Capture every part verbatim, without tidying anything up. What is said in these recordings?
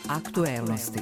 Aktuelnosti.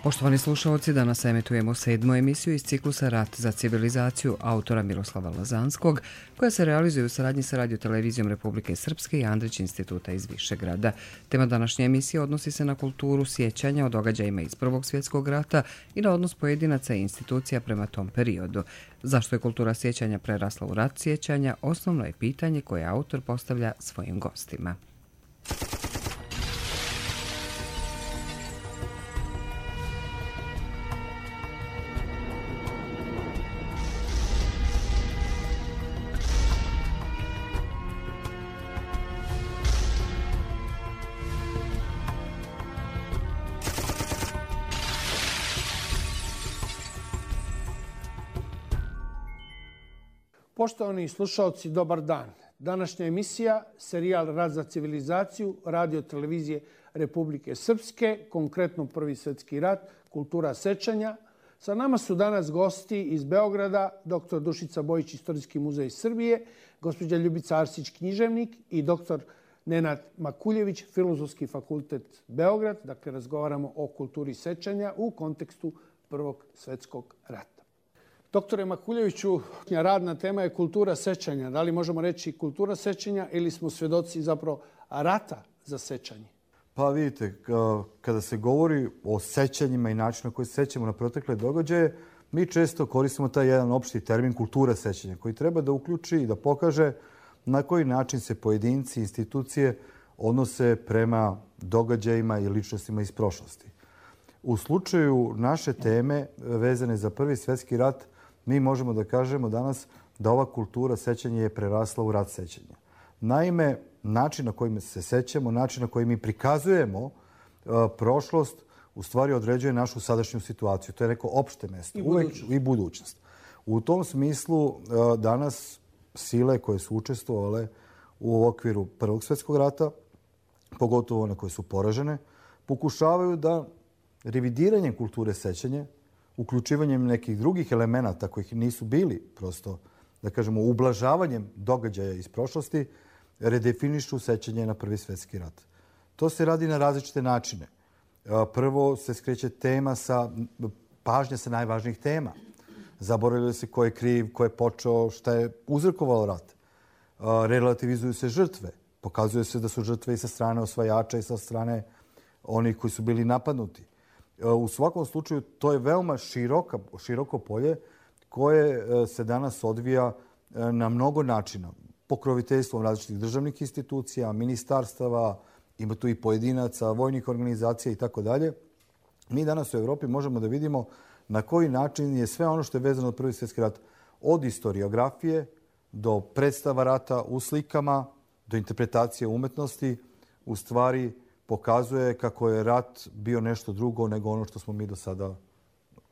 Poštovani slušalci, danas emitujemo sedmu emisiju iz ciklusa Rat za civilizaciju autora Miroslava Lazanskog, koja se realizuje u saradnji sa Radio-televizijom Republike Srpske i Andrić instituta iz Višegrada. Tema današnje emisije odnosi se na kulturu sjećanja o događajima iz Prvog svjetskog rata i na odnos pojedinaca i institucija prema tom periodu. Zašto je kultura sjećanja prerasla u rat sjećanja, osnovno je pitanje koje autor postavlja svojim gostima. Poštovani slušaoci, dobar dan. Današnja emisija, serijal Rat za civilizaciju, Radio-televizije Republike Srpske, konkretno Prvi svjetski rat, kultura sećanja. Sa nama su danas gosti iz Beograda, doktor Dušica Bojić, Istorijski muzej Srbije, gospođa Ljubica Arsić, književnik i doktor Nenad Makuljević, Filozofski fakultet Beograd. Dakle, razgovaramo o kulturi sećanja u kontekstu Prvog svjetskog rata. Doktore Makuljeviću, radna tema je kultura sećanja. Da li možemo reći kultura sećanja ili smo svjedoci zapravo rata za sećanje? Pa vidite, kada se govori o sećanjima i načinu na koji se sećamo na protekle događaje, mi često koristimo taj jedan opšti termin kultura sećanja, koji treba da uključi i da pokaže na koji način se pojedinci, institucije odnose prema događajima i ličnostima iz prošlosti. U slučaju naše teme vezane za Prvi svjetski rat, mi možemo da kažemo danas da ova kultura sećanja je prerasla u rat sećanja. Naime, način na koji se sećamo, način na koji mi prikazujemo uh, prošlost, u stvari određuje našu sadašnju situaciju. To je neko opšte mesto. I budućnost. I budućnost. U tom smislu uh, danas sile koje su učestvovale u okviru Prvog svjetskog rata, pogotovo one koje su poražene, pokušavaju da revidiranjem kulture sećanja, uključivanjem nekih drugih elemenata kojih nisu bili, prosto, da kažemo, ublažavanjem događaja iz prošlosti, redefinišu sećanje na Prvi svjetski rat. To se radi na različite načine. Prvo se skreće tema sa, pažnja sa najvažnijih tema. Zaboravljaju se ko je kriv, ko je počeo, šta je uzrokovalo rat. Relativizuju se žrtve. Pokazuje se da su žrtve i sa strane osvajača i sa strane onih koji su bili napadnuti. U svakom slučaju, to je veoma široka, široko polje koje se danas odvija na mnogo načina. Pokroviteljstvom različitih državnih institucija, ministarstava, ima tu i pojedinaca, vojnih organizacija i tako dalje. Mi danas u Evropi možemo da vidimo na koji način je sve ono što je vezano od Prvi svjetski rat, od historiografije do predstava rata u slikama, do interpretacije umetnosti, u stvari pokazuje kako je rat bio nešto drugo nego ono što smo mi do sada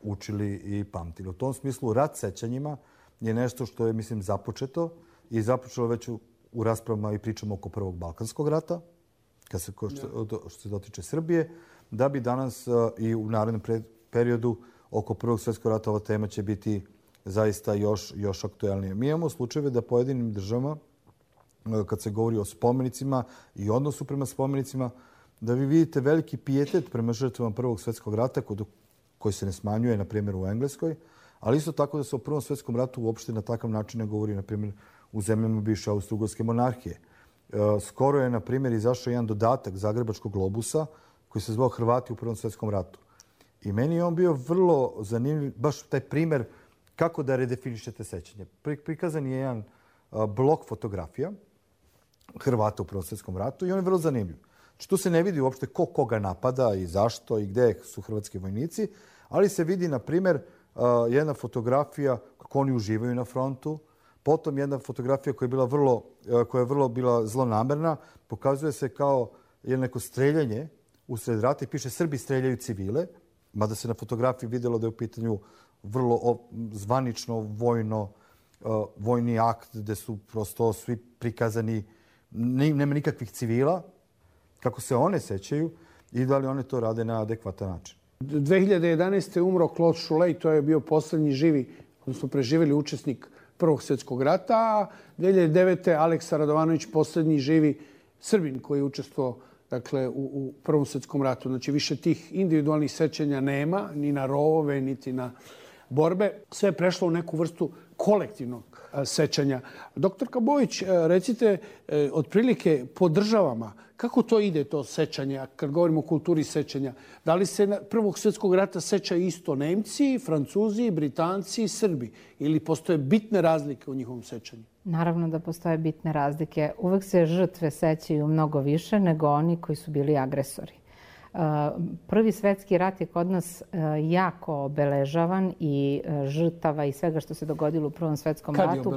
učili i pamtili. U tom smislu, rat sećanjima je nešto što je, mislim, započeto i započelo već u, u raspravama i pričamo oko Prvog Balkanskog rata, kad se, što, što se dotiče Srbije, da bi danas uh, i u narednom periodu oko Prvog svjetskog rata ova tema će biti zaista još, još aktuelnije. Mi imamo slučajeve da pojedinim državama, uh, kad se govori o spomenicima i odnosu prema spomenicima, da vi vidite veliki pijetet prema žrtvama Prvog svjetskog rata koji se ne smanjuje, na primjer, u Engleskoj, ali isto tako da se o Prvom svjetskom ratu uopšte na takav način ne govori, na primjer, u zemljama bivše Austro-Ugarske monarhije. Skoro je, na primjer, izašao jedan dodatak Zagrebačkog globusa koji se zvao Hrvati u Prvom svjetskom ratu. I meni je on bio vrlo zanimljiv, baš taj primjer kako da redefinišete sećanje. Prikazan je jedan blok fotografija Hrvata u Prvom svjetskom ratu i on je vrlo zanimljiv. Znači, tu se ne vidi uopšte ko koga napada i zašto i gde su hrvatski vojnici, ali se vidi, na primjer, jedna fotografija kako oni uživaju na frontu, potom jedna fotografija koja je bila vrlo, koja je vrlo bila zlonamerna, pokazuje se kao jedno neko streljanje usred rata i piše Srbi streljaju civile, mada se na fotografiji vidjelo da je u pitanju vrlo zvanično vojno, vojni akt gde su prosto svi prikazani, nema nikakvih civila, kako se one sećaju i da li one to rade na adekvatan način. dve hiljade jedanaeste. umro Claude Cholet, to je bio posljednji živi, odnosno preživjeli učesnik Prvog svjetskog rata, a dve hiljade devete. Aleksa Radovanović, posljednji živi Srbin koji je učestvovao dakle, u, u Prvom svjetskom ratu. Znači, više tih individualnih sećanja nema, ni na rovove, niti na borbe. Sve je prešlo u neku vrstu kolektivnog sećanja. Doktorka Bojić, recite, otprilike po državama, kako to ide, to sećanje, kad govorimo o kulturi sećanja? Da li se Prvog svjetskog rata sećaju isto Nemci, Francuzi, Britanci i Srbi? Ili postoje bitne razlike u njihovom sećanju? Naravno da postoje bitne razlike. Uvek se žrtve sećaju mnogo više nego oni koji su bili agresori. Prvi svjetski rat je kod nas jako obeležavan i žrtava i svega što se dogodilo u Prvom svjetskom ratu.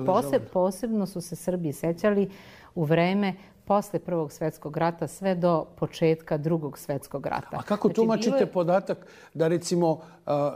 Posebno su se Srbi sećali u vreme posle Prvog svjetskog rata sve do početka Drugog svjetskog rata. A kako tumačite podatak da, recimo,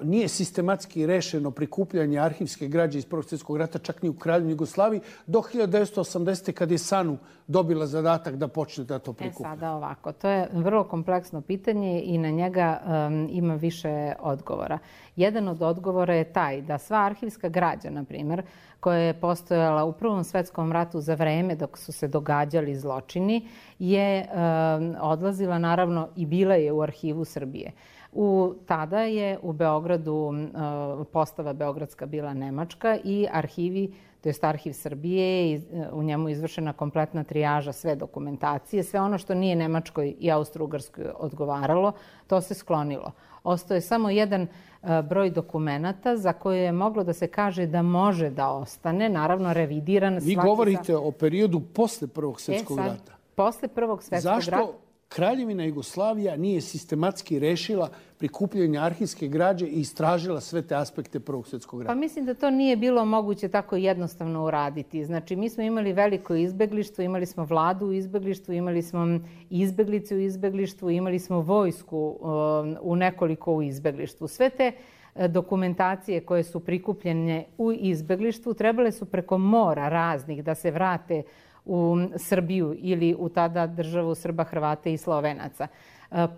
nije sistematski rešeno prikupljanje arhivske građe iz Prvog svjetskog rata čak ni u Kraljevini Jugoslaviji do hiljadu devetsto osamdesete. kad je SANU dobila zadatak da počne da to prikuplja? E sada ovako, to je vrlo kompleksno pitanje i na njega um, ima više odgovora. Jedan od odgovora je taj da sva arhivska građa, na primjer, koja je postojala u Prvom svjetskom ratu za vreme dok su se događali zločini, je um, odlazila naravno i bila je u arhivu Srbije. U, tada je u Beogradu uh, postava beogradska bila nemačka i arhivi, to jest arhiv Srbije, i u njemu izvršena kompletna trijaža sve dokumentacije. Sve ono što nije Nemačkoj i Austro-Ugarskoj odgovaralo, to se sklonilo. Ostao je samo jedan uh, broj dokumenata za koje je moglo da se kaže da može da ostane, naravno revidiran. Vi govorite za... o periodu posle Prvog svjetskog e, sad, rata. Posle Prvog svjetskog Zašto rata. Kraljevina Jugoslavija nije sistematski rešila prikupljanje arhivske građe i istražila sve te aspekte Prvog svjetskog rata? Pa mislim da to nije bilo moguće tako jednostavno uraditi. Znači, mi smo imali veliko izbeglištvo, imali smo vladu u izbeglištvu, imali smo izbeglice u izbeglištvu, imali smo vojsku u nekoliko u izbeglištvu. Sve te dokumentacije koje su prikupljene u izbeglištvu trebale su preko mora raznih da se vrate u Srbiju ili u tada državu Srba, Hrvata i Slovenaca.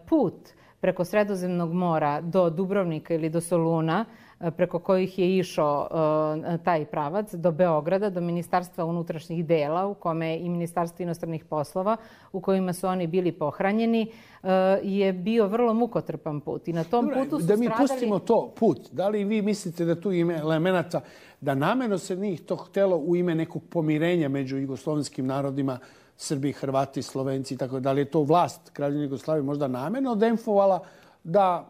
Put preko Sredozemnog mora do Dubrovnika ili do Soluna, preko kojih je išao taj pravac, do Beograda, do Ministarstva unutrašnjih dela, u kome je i Ministarstvo inostranih poslova, u kojima su oni bili pohranjeni, je bio vrlo mukotrpan put. I na tom Dobre, putu su da mi stradali... pustimo to put. Da li vi mislite da tu ima elemenata da namjerno se njih to htelo u ime nekog pomirenja među jugoslovenskim narodima, Srbi, Hrvati, Slovenci, tako da li je to vlast Kraljevine Jugoslavije možda namjerno demfovala da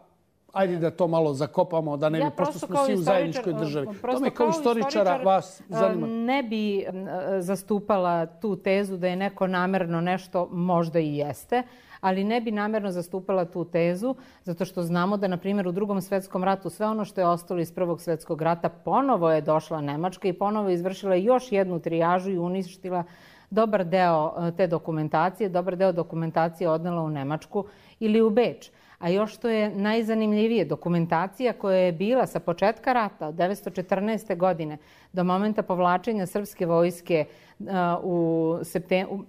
ajde da to malo zakopamo, da ne bi, ja prosto smo svi u zajedničkoj državi. To me kao istoričara vas zanima. Ne bi zastupala tu tezu da je neko namerno nešto, možda i jeste, ali ne bi namerno zastupala tu tezu, zato što znamo da, na primjer, u Drugom svjetskom ratu sve ono što je ostalo iz Prvog svjetskog rata ponovo je došla Nemačka i ponovo izvršila još jednu trijažu i uništila dobar deo te dokumentacije. Dobar deo dokumentacije odnela u Nemačku ili u Beč. A još što je najzanimljivije, dokumentacija koja je bila sa početka rata od devetsto četrnaeste. godine do momenta povlačenja srpske vojske u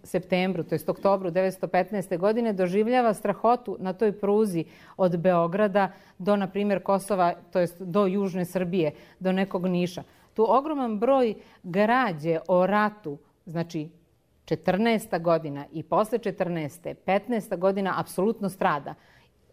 septembru, to jest oktobru devetsto petnaeste. godine, doživljava strahotu na toj pruzi od Beograda do, na primjer, Kosova, to jest do Južne Srbije, do nekog Niša. Tu ogroman broj građe o ratu, znači četrnaesta. godina i posle četrnaeste. petnaesta. godina apsolutno strada.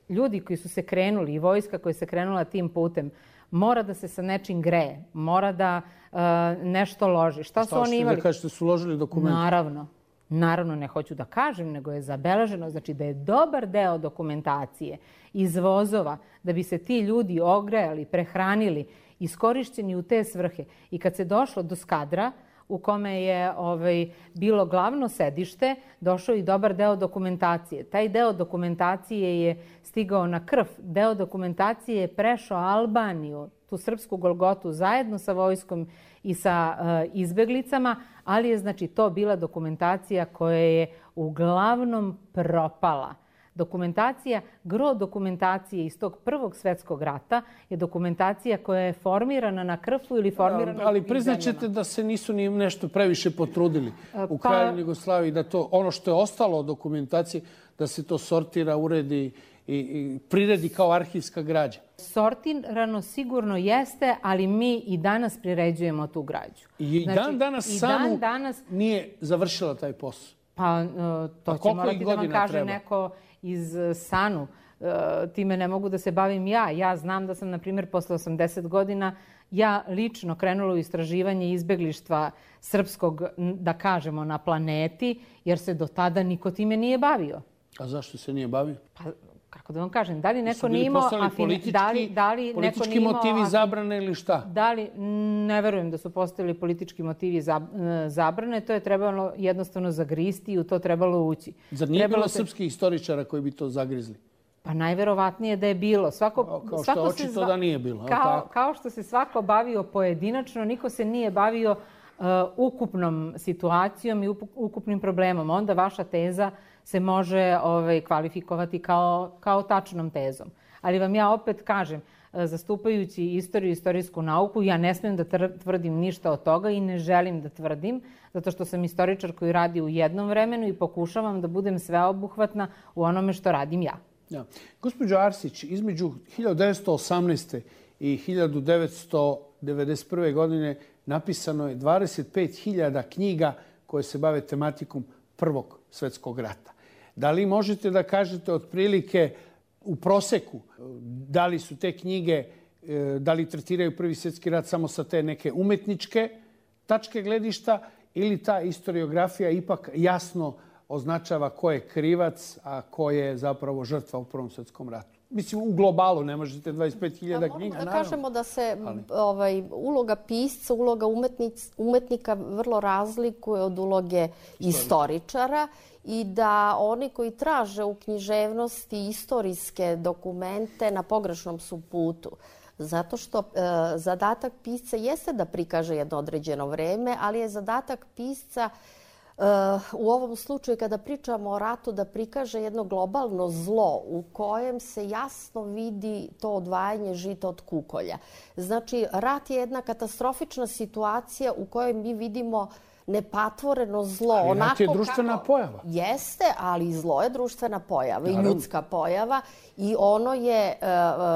Ljudi koji su se krenuli i vojska koja se krenula tim putem mora da se sa nečim greje, mora da uh, nešto loži. Šta, Šta su oni imali? Da kažete su ložili dokumente? Naravno. Naravno, ne hoću da kažem, nego je zabeleženo. Znači da je dobar deo dokumentacije iz vozova da bi se ti ljudi ogrejali, prehranili, iskorišćeni u te svrhe. I kad se došlo do Skadra, u kome je ovaj, bilo glavno sedište, došao i dobar deo dokumentacije. Taj deo dokumentacije je stigao na krv. Deo dokumentacije je prešao Albaniju, tu srpsku Golgotu, zajedno sa vojskom i sa uh, izbeglicama, ali je znači to bila dokumentacija koja je uglavnom propala. Dokumentacija, gro dokumentacije iz tog Prvog svjetskog rata je dokumentacija koja je formirana na krfu ili formirana... Ali, ali priznaćete da se nisu ni nešto previše potrudili u pa, Kraljevini Jugoslaviji, da to ono što je ostalo od dokumentacije, da se to sortira, uredi i, i priredi kao arhivska građa. Sortirano sigurno jeste, ali mi i danas priređujemo tu građu. I znači, dan danas i SANU dan danas, nije završila taj posao. Pa to pa će morati da vam kaže treba? neko iz SANU. Time ne mogu da se bavim ja. Ja znam da sam, na primjer, posle osamdeset godina ja lično krenula u istraživanje izbeglištva srpskog, da kažemo, na planeti, jer se do tada niko time nije bavio. A zašto se nije bavio? Pa, kako da vam kažem, da li neko nije imao... Politički, da li, da li politički neko nije motivi imao, zabrane ili šta? Da li, ne verujem da su postavili politički motivi zabrane, to je trebalo jednostavno zagristi i u to trebalo ući. Zar nije bilo srpskih istoričara koji bi to zagrizli? Pa najverovatnije da je bilo. Svako, kao što svako očito zva... da nije bilo. Kao, kao što se svako bavio pojedinačno, niko se nije bavio uh, ukupnom situacijom i ukupnim problemom. Onda vaša teza se može ovaj, kvalifikovati kao, kao tačnom tezom. Ali vam ja opet kažem, zastupajući istoriju i istorijsku nauku, ja ne smijem da tvrdim ništa od toga i ne želim da tvrdim, zato što sam istoričar koji radi u jednom vremenu i pokušavam da budem sveobuhvatna u onome što radim ja. Ja. Gospođo Arsić, između hiljadu devetsto osamnaeste. i hiljadu devetsto devedeset prve. godine napisano je dvadeset pet hiljada knjiga koje se bave tematikom Prvog svjetskog rata. Da li možete da kažete otprilike u proseku da li su te knjige, da li tretiraju Prvi svjetski rat samo sa te neke umetničke tačke gledišta ili ta historiografija ipak jasno označava ko je krivac, a ko je zapravo žrtva u Prvom svjetskom ratu? Mislim, u globalu ne možete dvadeset pet hiljada knjiga, naravno. Da naravno. kažemo da se ovaj, uloga pisca, uloga umetnic, umetnika vrlo razlikuje od uloge istoričara i da oni koji traže u književnosti istorijske dokumente na pogrešnom su putu. Zato što e, zadatak pisca jeste da prikaže jedno određeno vreme, ali je zadatak pisca u ovom slučaju kada pričamo o ratu da prikaže jedno globalno zlo u kojem se jasno vidi to odvajanje žita od kukolja. Znači, rat je jedna katastrofična situacija u kojoj mi vidimo nepatvoreno zlo. Ali rat je društvena kako... pojava. Jeste, ali i zlo je društvena pojava i ljudska pojava. I ono je,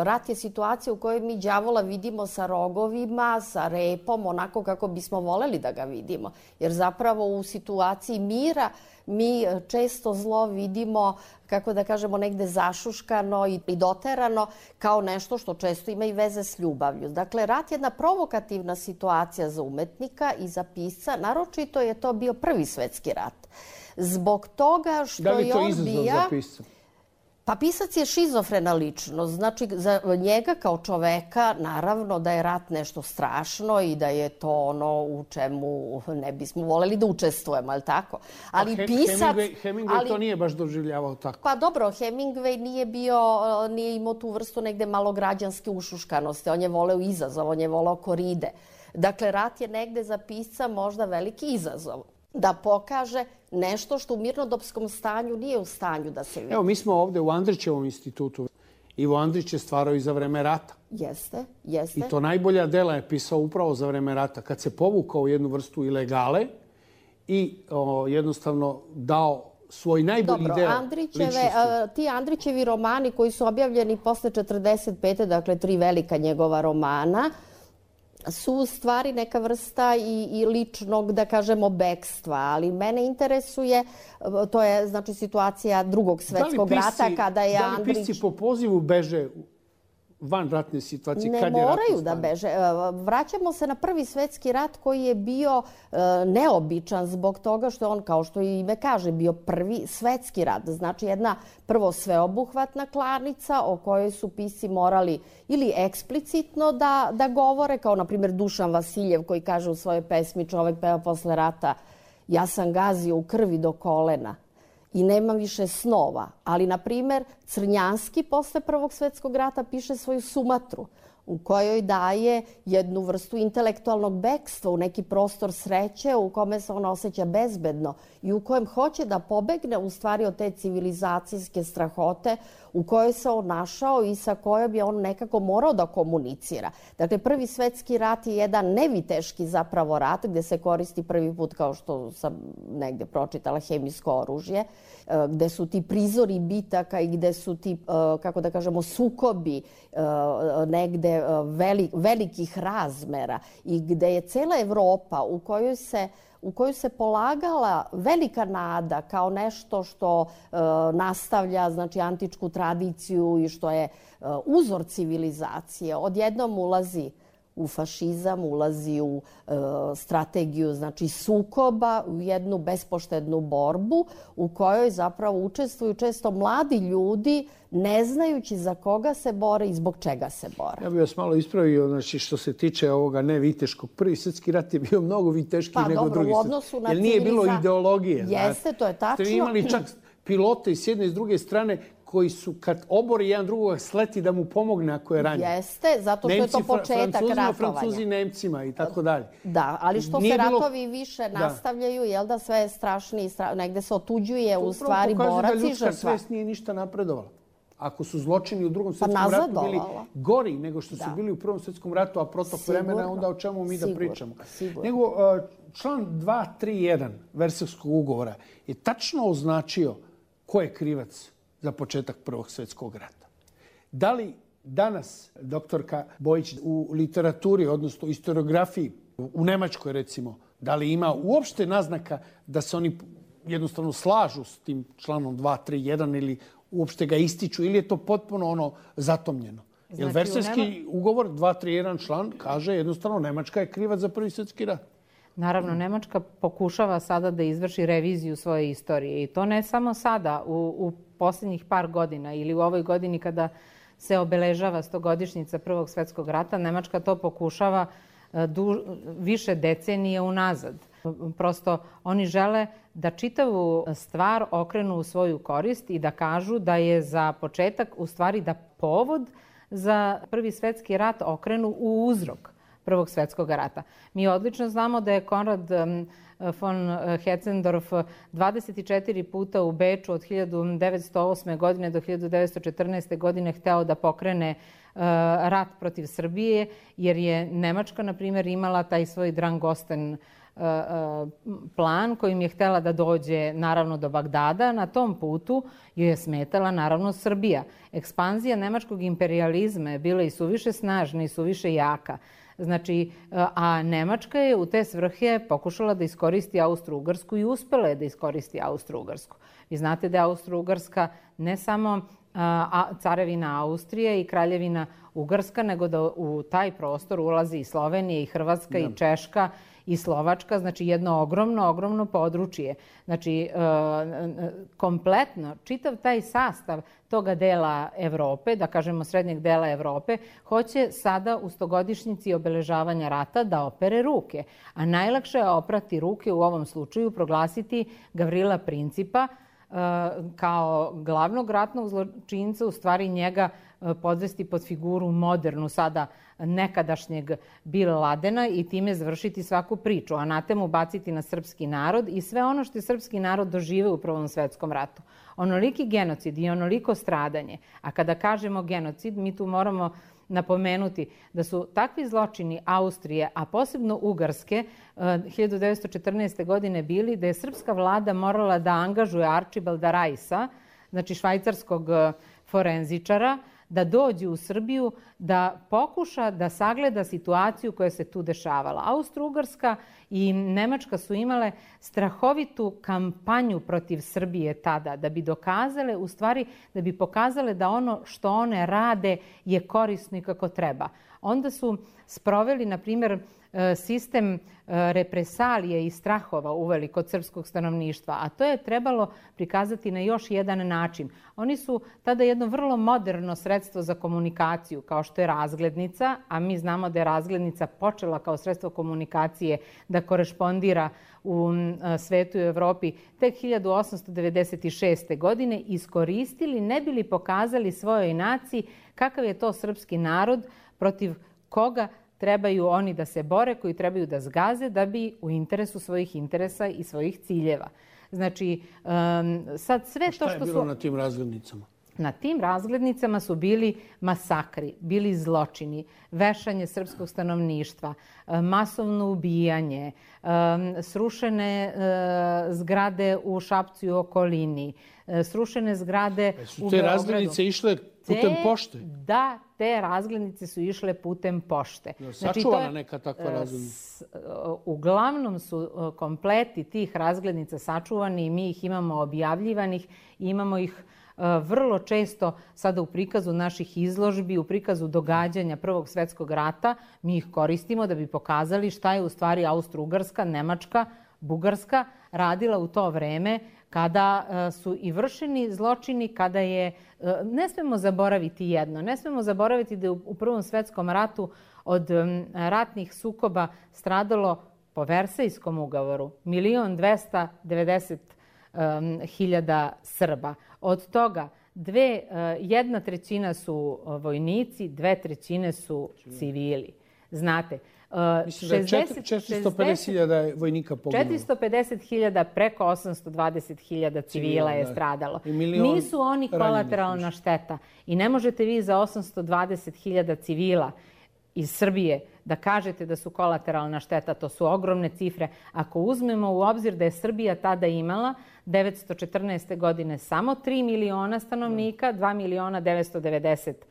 rat je situacija u kojoj mi đavola vidimo sa rogovima, sa repom, onako kako bismo voleli da ga vidimo. Jer zapravo u situaciji mira mi često zlo vidimo, kako da kažemo, negde zašuškano i doterano kao nešto što često ima i veze s ljubavlju. Dakle, rat je jedna provokativna situacija za umetnika i za pisca. Naročito je to bio Prvi svjetski rat. Zbog toga što je on bio... Da li je to izazov za pisca? Pa pisac je šizofrena ličnost. Znači, za njega kao čoveka, naravno da je rat nešto strašno i da je to ono u čemu ne bismo voleli da učestvujemo, ali tako? Ali He, pisac... Hemingway, Hemingway ali, to nije baš doživljavao tako. Pa dobro, Hemingway nije bio, nije imao tu vrstu negde malograđanske ušuškanosti. On je voleo izazov, on je voleo koride. Dakle, rat je negde za pisca možda veliki izazov. Da pokaže nešto što u mirnodopskom stanju nije u stanju da se vidi. Evo, mi smo ovde u Andrićevom institutu. Ivo Andrić je stvarao i za vreme rata. Jeste, jeste. I to najbolja dela je pisao upravo za vreme rata. Kad se povukao u jednu vrstu ilegale i o, jednostavno dao svoj najbolji Dobro, deo Andrićeve, ličnosti. Ti Andrićevi romani koji su objavljeni posle četrdeset pete. dakle tri velika njegova romana, su u stvari neka vrsta i, i ličnog, da kažemo, bekstva. Ali mene interesuje, to je znači situacija Drugog svjetskog rata kada je Andrić... Da li pisci po pozivu beže van ratne situacije? Ne kad je moraju da beže. Vraćamo se na Prvi svjetski rat koji je bio e, neobičan zbog toga što je on, kao što i ime kaže, bio Prvi svjetski rat. Znači jedna prvo sveobuhvatna klanica o kojoj su pisci morali ili eksplicitno da, da govore, kao na primjer Dušan Vasiljev koji kaže u svojoj pesmi Čovek peva posle rata: ja sam gazio u krvi do kolena i nemam više snova. Ali, na primjer, Crnjanski posle Prvog svjetskog rata piše svoju Sumatru. u kojoj daje jednu vrstu intelektualnog bekstva u neki prostor sreće u kome se on osjeća bezbedno i u kojem hoće da pobegne u stvari od te civilizacijske strahote u kojoj se on našao i sa kojom je on nekako morao da komunicira. Dakle, Prvi svetski rat je jedan neviteški zapravo rat gde se koristi prvi put, kao što sam negde pročitala, hemijsko oružje, gde su ti prizori bitaka i gde su ti, kako da kažemo, sukobi negde velikih razmera i gde je cela Evropa u kojoj se u koju se polagala velika nada kao nešto što e, nastavlja znači, antičku tradiciju i što je e, uzor civilizacije, odjednom ulazi u fašizam, ulazi u e, strategiju znači, sukoba, u jednu bespoštednu borbu u kojoj zapravo učestvuju često mladi ljudi ne znajući za koga se bore i zbog čega se bore. Ja bih vas malo ispravio, znači što se tiče ovoga neviteškog. Prvi svjetski rat je bio mnogo viteškiji pa, nego dobro, drugi svjetski. Jer nije bilo ideologije. Jeste, znači. to je tačno. Ste imali čak pilote i s jedne i s druge strane koji su kad obori jedan drugog sleti da mu pomogne ako je ranjen. Jeste, zato što Nemci, je to početak ratovanja. Francuzi Nemcima i tako dalje. Da, ali što Nije se bilo... ratovi više da. nastavljaju, jel da sve je strašniji, stra... negde se otuđuje to u stvari borac i žrtva. To pokazuje da ljudska svest nije ništa napredovala. Ako su zločini u drugom svjetskom pa ratu bili gori nego što su da. bili u prvom svjetskom ratu, a protok Sigurno. vremena, onda o čemu mi Sigurno. da pričamo. Sigurno. Nego član dva tri jedan Versajskog ugovora je tačno označio ko je krivac za početak Prvog svjetskog rata. Da li danas, doktorka Bojić, u literaturi, odnosno historiografiji, u Nemačkoj recimo, da li ima uopšte naznaka da se oni jednostavno slažu s tim članom dva tri jedan ili uopšte ga ističu ili je to potpuno ono zatomljeno? Znači, jer Versajski nema... ugovor dva tri jedan član kaže jednostavno Nemačka je krivac za Prvi svjetski rat. Naravno, Nemačka pokušava sada da izvrši reviziju svoje istorije i to ne samo sada, u, u posljednjih par godina ili u ovoj godini kada se obeležava stogodišnjica Prvog svjetskog rata, Nemačka to pokušava du, više decenije unazad. Prosto oni žele da čitavu stvar okrenu u svoju korist i da kažu da je za početak u stvari da povod za Prvi svjetski rat okrenu u uzrok Prvog svjetskog rata. Mi odlično znamo da je Konrad von Hetzendorf dvadeset četiri puta u Beču od hiljadu devetsto osme. godine do hiljadu devetsto četrnaeste. godine hteo da pokrene rat protiv Srbije, jer je Nemačka, na primjer, imala taj svoj Drangosten plan kojim je htjela da dođe naravno do Bagdada. Na tom putu joj je smetala naravno Srbija. Ekspanzija nemačkog imperializma je bila i suviše snažna i suviše jaka. Znači, a Nemačka je u te svrhe pokušala da iskoristi Austro-Ugarsku i uspela je da iskoristi Austro-Ugarsku. Vi znate da je Austro-Ugarska ne samo carevina Austrije i kraljevina Ugarska, nego da u taj prostor ulazi i Slovenija, i Hrvatska, i Češka, i Slovačka, znači jedno ogromno, ogromno područje. Znači, kompletno, čitav taj sastav toga dela Evrope, da kažemo srednjeg dela Evrope, hoće sada u stogodišnjici obeležavanja rata da opere ruke. A najlakše je oprati ruke u ovom slučaju, proglasiti Gavrila Principa kao glavnog ratnog zločinca, u stvari njega podvesti pod figuru modernu sada nekadašnjeg Bin Ladena i time završiti svaku priču, anatemu baciti na srpski narod i sve ono što je srpski narod doživeo u Prvom svjetskom ratu. Onoliki genocid i onoliko stradanje, a kada kažemo genocid, mi tu moramo napomenuti da su takvi zločini Austrije, a posebno Ugarske, hiljadu devetsto četrnaeste. godine bili da je srpska vlada morala da angažuje Arčibalda Rajsa, znači švajcarskog forenzičara, da dođe u Srbiju, da pokuša da sagleda situaciju koja se tu dešavala. Austro-Ugarska i Nemačka su imale strahovitu kampanju protiv Srbije tada, da bi dokazale, u stvari, da bi pokazale da ono što one rade je korisno i kako treba. Onda su sproveli, na primjer, sistem represalije i strahova uveli kod srpskog stanovništva, a to je trebalo prikazati na još jedan način. Oni su tada jedno vrlo moderno sredstvo za komunikaciju, kao što je razglednica, a mi znamo da je razglednica počela kao sredstvo komunikacije da korešpondira u svetu i Evropi tek hiljadu osamsto devedeset šeste. godine, iskoristili, ne bili pokazali svojoj naciji kakav je to srpski narod, protiv koga trebaju oni da se bore, koji trebaju da zgaze da bi u interesu svojih interesa i svojih ciljeva. Znači, sad sve to što su... Šta je bilo na tim razglednicama? Na tim razglednicama su bili masakri, bili zločini, vešanje srpskog stanovništva, masovno ubijanje, srušene zgrade u Šapcu i okolini, srušene zgrade u Beogradu. Su te razglednice išle putem pošte? Da, te razglednice su išle putem pošte. Sačuvana neka takva razglednica? Uglavnom su kompleti tih razglednica sačuvani i mi ih imamo objavljivanih i imamo ih vrlo često sada u prikazu naših izložbi, u prikazu događanja Prvog svjetskog rata. Mi ih koristimo da bi pokazali šta je u stvari Austro-Ugarska, Nemačka, Bugarska radila u to vreme kada su i vršeni zločini, kada je... Ne smemo zaboraviti jedno. Ne smemo zaboraviti da je u Prvom svjetskom ratu od ratnih sukoba stradalo po Versajskom ugovoru milion dvesta devedeset hiljada Srba. Od toga dve, jedna trećina su vojnici, dve trećine su civili. Znate, mislim da je četiristo pedeset hiljada vojnika poginulo. četiristo pedeset hiljada, preko osamsto dvadeset hiljada civila je stradalo. Nisu oni kolateralna šteta. I ne možete vi za osamsto dvadeset hiljada civila iz Srbije da kažete da su kolateralna šteta. To su ogromne cifre. Ako uzmemo u obzir da je Srbija tada imala devetsto četrnaeste. godine samo tri miliona stanovnika, dva miliona devetsto devedeset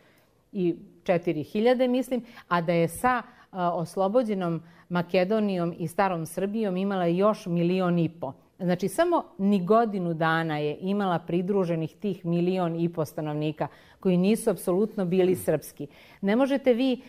četiri hiljade, mislim, a da je sa oslobođenom Makedonijom i starom Srbijom imala još milion i po. Znači, samo ni godinu dana je imala pridruženih tih milion i po stanovnika koji nisu apsolutno bili srpski. Ne možete vi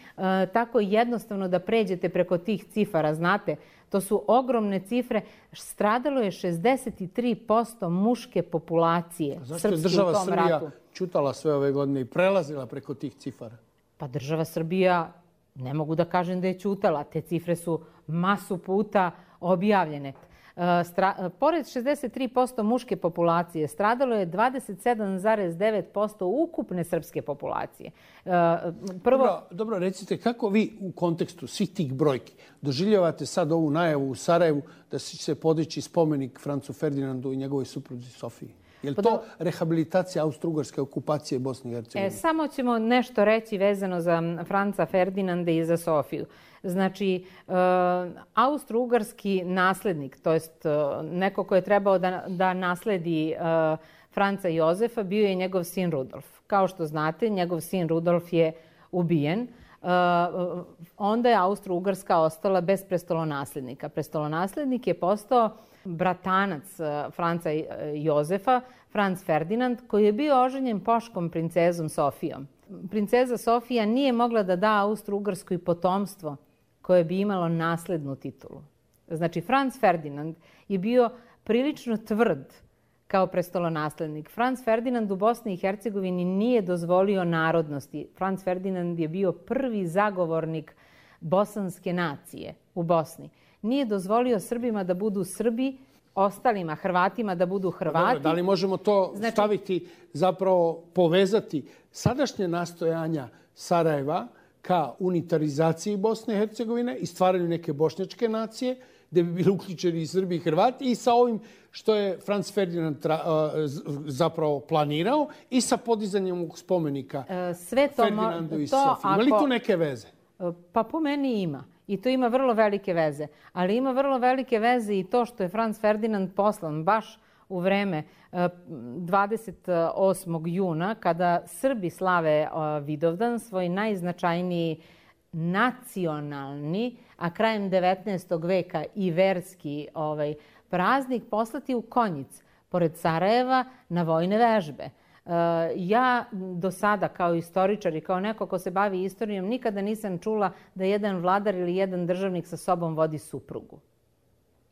tako jednostavno da pređete preko tih cifara, znate. To su ogromne cifre. Stradalo je šezdeset tri posto muške populacije srpske u tom ratu. Zašto je država Srbija čutala sve ove godine i prelazila preko tih cifara? Pa država Srbija, ne mogu da kažem da je ćutala. Te cifre su masu puta objavljene. Pored šezdeset tri posto muške populacije, stradalo je dvadeset sedam zarez devet posto ukupne srpske populacije. Prvo... Dobro, recite, kako vi u kontekstu svih tih brojki doživljavate sad ovu najavu u Sarajevu da će se podići spomenik Francu Ferdinandu i njegovoj supruzi Sofiji? Je li to rehabilitacija austro-ugarske okupacije Bosne i Hercegovine? Samo ćemo nešto reći vezano za Franca Ferdinanda i za Sofiju. Znači, austro-ugarski naslednik, to jest neko ko je trebao da nasledi Franca Jozefa, bio je njegov sin Rudolf. Kao što znate, njegov sin Rudolf je ubijen. Onda je Austro-Ugarska ostala bez prestolonaslednika. Prestolonaslednik je postao bratanac Franca Jozefa, Franc Ferdinand, koji je bio oženjen poškom princezom Sofijom. Princeza Sofija nije mogla da da Austro-Ugarskoj potomstvo koje bi imalo naslednu titulu. Znači, Franc Ferdinand je bio prilično tvrd kao prestolonaslednik. Franc Ferdinand u Bosni i Hercegovini nije dozvolio narodnosti. Franc Ferdinand je bio prvi zagovornik bosanske nacije u Bosni. Nije dozvolio Srbima da budu Srbi, ostalima Hrvatima da budu Hrvati. Dobro, da li možemo to znači... staviti, zapravo povezati sadašnje nastojanja Sarajeva ka unitarizaciji Bosne i Hercegovine i stvaranju neke bošnjačke nacije, gde bi bili uključeni i Srbi i Hrvati, i sa ovim što je Franc Ferdinand zapravo planirao i sa podizanjem spomenika Sve to Ferdinandu i Sofiji. Ima li tu neke veze? Pa po meni ima. I to ima vrlo velike veze. Ali ima vrlo velike veze i to što je Franc Ferdinand poslan baš u vreme dvadeset osmog juna, kada Srbi slave Vidovdan, svoj najznačajniji nacionalni, a krajem devetnaestog veka i verski ovaj, praznik, poslati u Konjic, pored Sarajeva, na vojne vežbe. Ja do sada kao istoričar i kao neko ko se bavi istorijom nikada nisam čula da jedan vladar ili jedan državnik sa sobom vodi suprugu.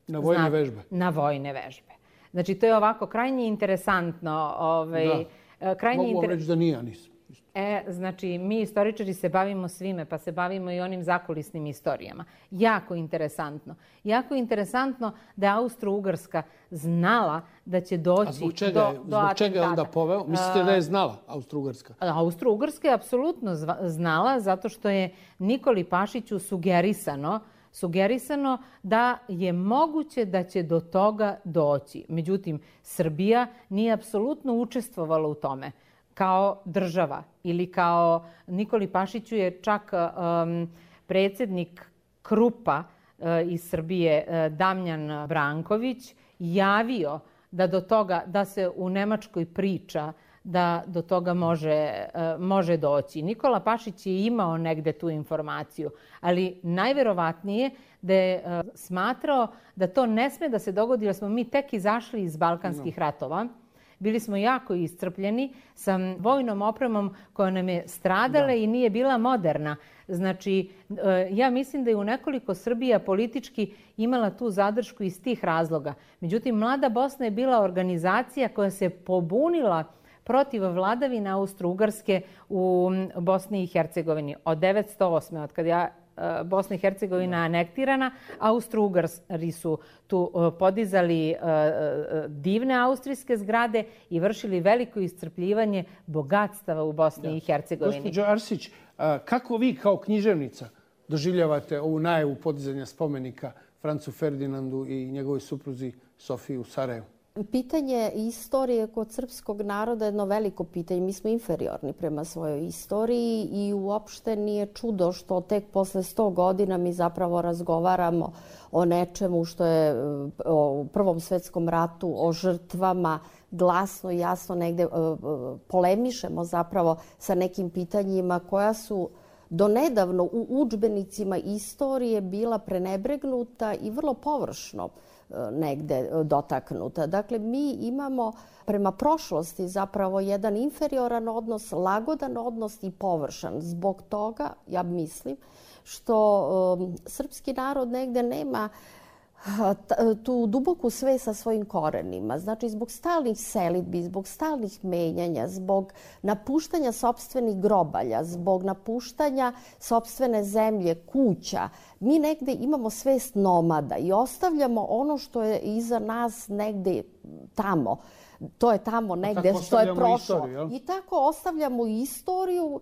Na vojne Zna, vežbe. Na vojne vežbe. Znači, to je ovako krajnje interesantno. Ovaj, da. Krajnje Mogu vam inter... reći da nije, nisam. E, znači, mi istoričari se bavimo svime, pa se bavimo i onim zakulisnim istorijama. Jako interesantno. Jako interesantno da je Austro-Ugarska znala da će doći A zbog čega, do, zbog do atentata. čega je onda poveo? Mislite da je znala Austro-Ugarska? Austro-Ugarska je apsolutno znala zato što je Nikoli Pašiću sugerisano sugerisano da je moguće da će do toga doći. Međutim, Srbija nije apsolutno učestvovala u tome kao država ili kao Nikoli Pašiću je čak um, predsjednik Krupa uh, iz Srbije uh, Damjan Branković javio da do toga, da se u Nemačkoj priča da do toga može, uh, može doći. Nikola Pašić je imao negde tu informaciju, ali najverovatnije da je uh, smatrao da to ne sme da se dogodi jer smo mi tek izašli iz Balkanskih no. ratova. Bili smo jako iscrpljeni sa vojnom opremom koja nam je stradala da. I nije bila moderna. Znači, ja mislim da je u nekoliko Srbija politički imala tu zadršku iz tih razloga. Međutim, Mlada Bosna je bila organizacija koja se pobunila protiv vladavine Austro-Ugarske u Bosni i Hercegovini. Od devetsto osme. od kad ja Bosna i Hercegovina anektirana, Austro-Ugari su tu podizali divne austrijske zgrade i vršili veliko iscrpljivanje bogatstava u Bosni da. i Hercegovini. Gospođo Arsić, kako vi kao književnica doživljavate ovu najavu podizanja spomenika Francu Ferdinandu i njegovoj supruzi Sofiji u Sarajevu? Pitanje istorije kod srpskog naroda je jedno veliko pitanje. Mi smo inferiorni prema svojoj istoriji i uopšte nije čudo što tek posle sto godina mi zapravo razgovaramo o nečemu što je u Prvom svetskom ratu, o žrtvama, glasno i jasno negde polemišemo zapravo sa nekim pitanjima koja su donedavno u udžbenicima istorije bila prenebregnuta i vrlo površno negde dotaknuta. Dakle, mi imamo prema prošlosti zapravo jedan inferioran odnos, lagodan odnos i površan. Zbog toga, ja mislim, što um, srpski narod negde nema tu duboku svest sa svojim korenima. Znači, zbog stalnih selidbi, zbog stalnih menjanja, zbog napuštanja sopstvenih grobalja, zbog napuštanja sopstvene zemlje, kuća, mi negde imamo svest nomada i ostavljamo ono što je iza nas negde tamo. To je tamo negde što je prošlo. Istoriju, I tako ostavljamo istoriju,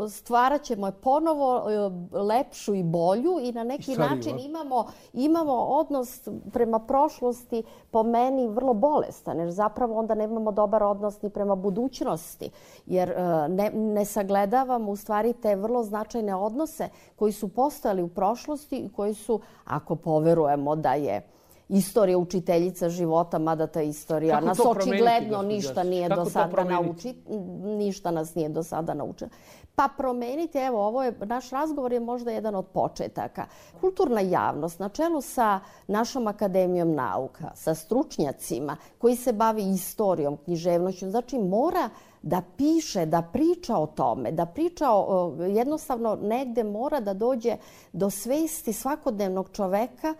stvarat ćemo je ponovo lepšu i bolju i na neki I stariju, način imamo, imamo odnos prema prošlosti po meni vrlo bolestan, jer zapravo onda nemamo dobar odnos ni prema budućnosti, jer ne, ne sagledavamo u stvari te vrlo značajne odnose koji su postojali u prošlosti i koji su, ako poverujemo da je istorija učiteljica života, mada ta istorija nas očigledno ništa nije do sada nauči, ništa nas nije do sada naučila. Pa promeniti, evo, ovo je, naš razgovor je možda jedan od početaka. Kulturna javnost na čelu sa našom Akademijom nauka, sa stručnjacima koji se bavi istorijom, književnošću, znači mora da piše, da priča o tome, da priča o, jednostavno negde mora da dođe do svesti svakodnevnog čoveka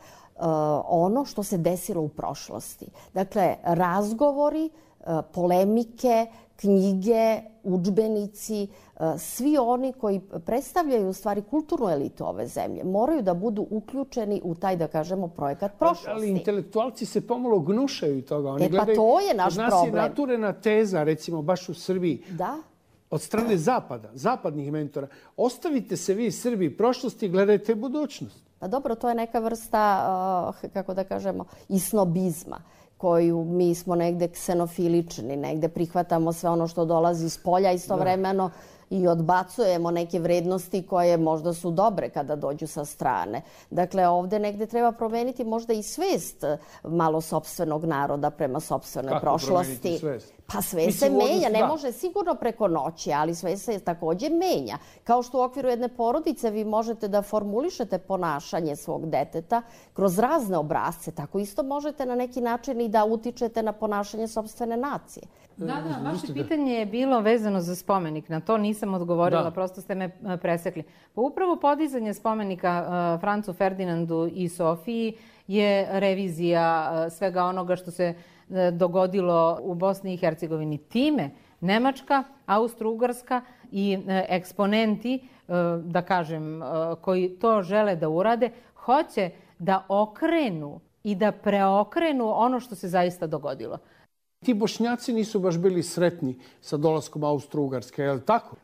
ono što se desilo u prošlosti. Dakle, razgovori, polemike, knjige, udžbenici, svi oni koji predstavljaju u stvari kulturnu elitu ove zemlje moraju da budu uključeni u taj, da kažemo, projekat prošlosti. Ali intelektualci se pomalo gnušaju toga. Oni e pa gledaju, to je naš problem. Od nas je naturena teza, recimo, baš u Srbiji. Da? Od strane Zapada, zapadnih mentora. Ostavite se vi Srbi prošlosti i gledajte budućnost. Pa dobro, to je neka vrsta, kako da kažemo, i snobizma koju mi smo negde ksenofilični, negde prihvatamo sve ono što dolazi iz polja istovremeno i odbacujemo neke vrednosti koje možda su dobre kada dođu sa strane. Dakle, ovde negde treba promeniti možda i svest malo sopstvenog naroda prema sopstvenoj prošlosti. Kako promeniti svest? Pa sve Mislim, se menja, odnosno, ne da. može sigurno preko noći, ali sve se takođe menja. Kao što u okviru jedne porodice vi možete da formulišete ponašanje svog deteta kroz razne obrazce, tako isto možete na neki način i da utičete na ponašanje sopstvene nacije. Da, da, vaše pitanje je bilo vezano za spomenik. Na to nisam odgovorila, Da. prosto ste me e, presekli. Pa upravo podizanje spomenika e, Francu Ferdinandu i Sofiji je revizija e, svega onoga što se e, dogodilo u Bosni i Hercegovini. Time Nemačka, Austro-Ugarska i e, eksponenti, e, da kažem, e, koji to žele da urade, hoće da okrenu i da preokrenu ono što se zaista dogodilo. Ti Bošnjaci nisu baš bili sretni sa dolaskom Austro-Ugarske, je li tako?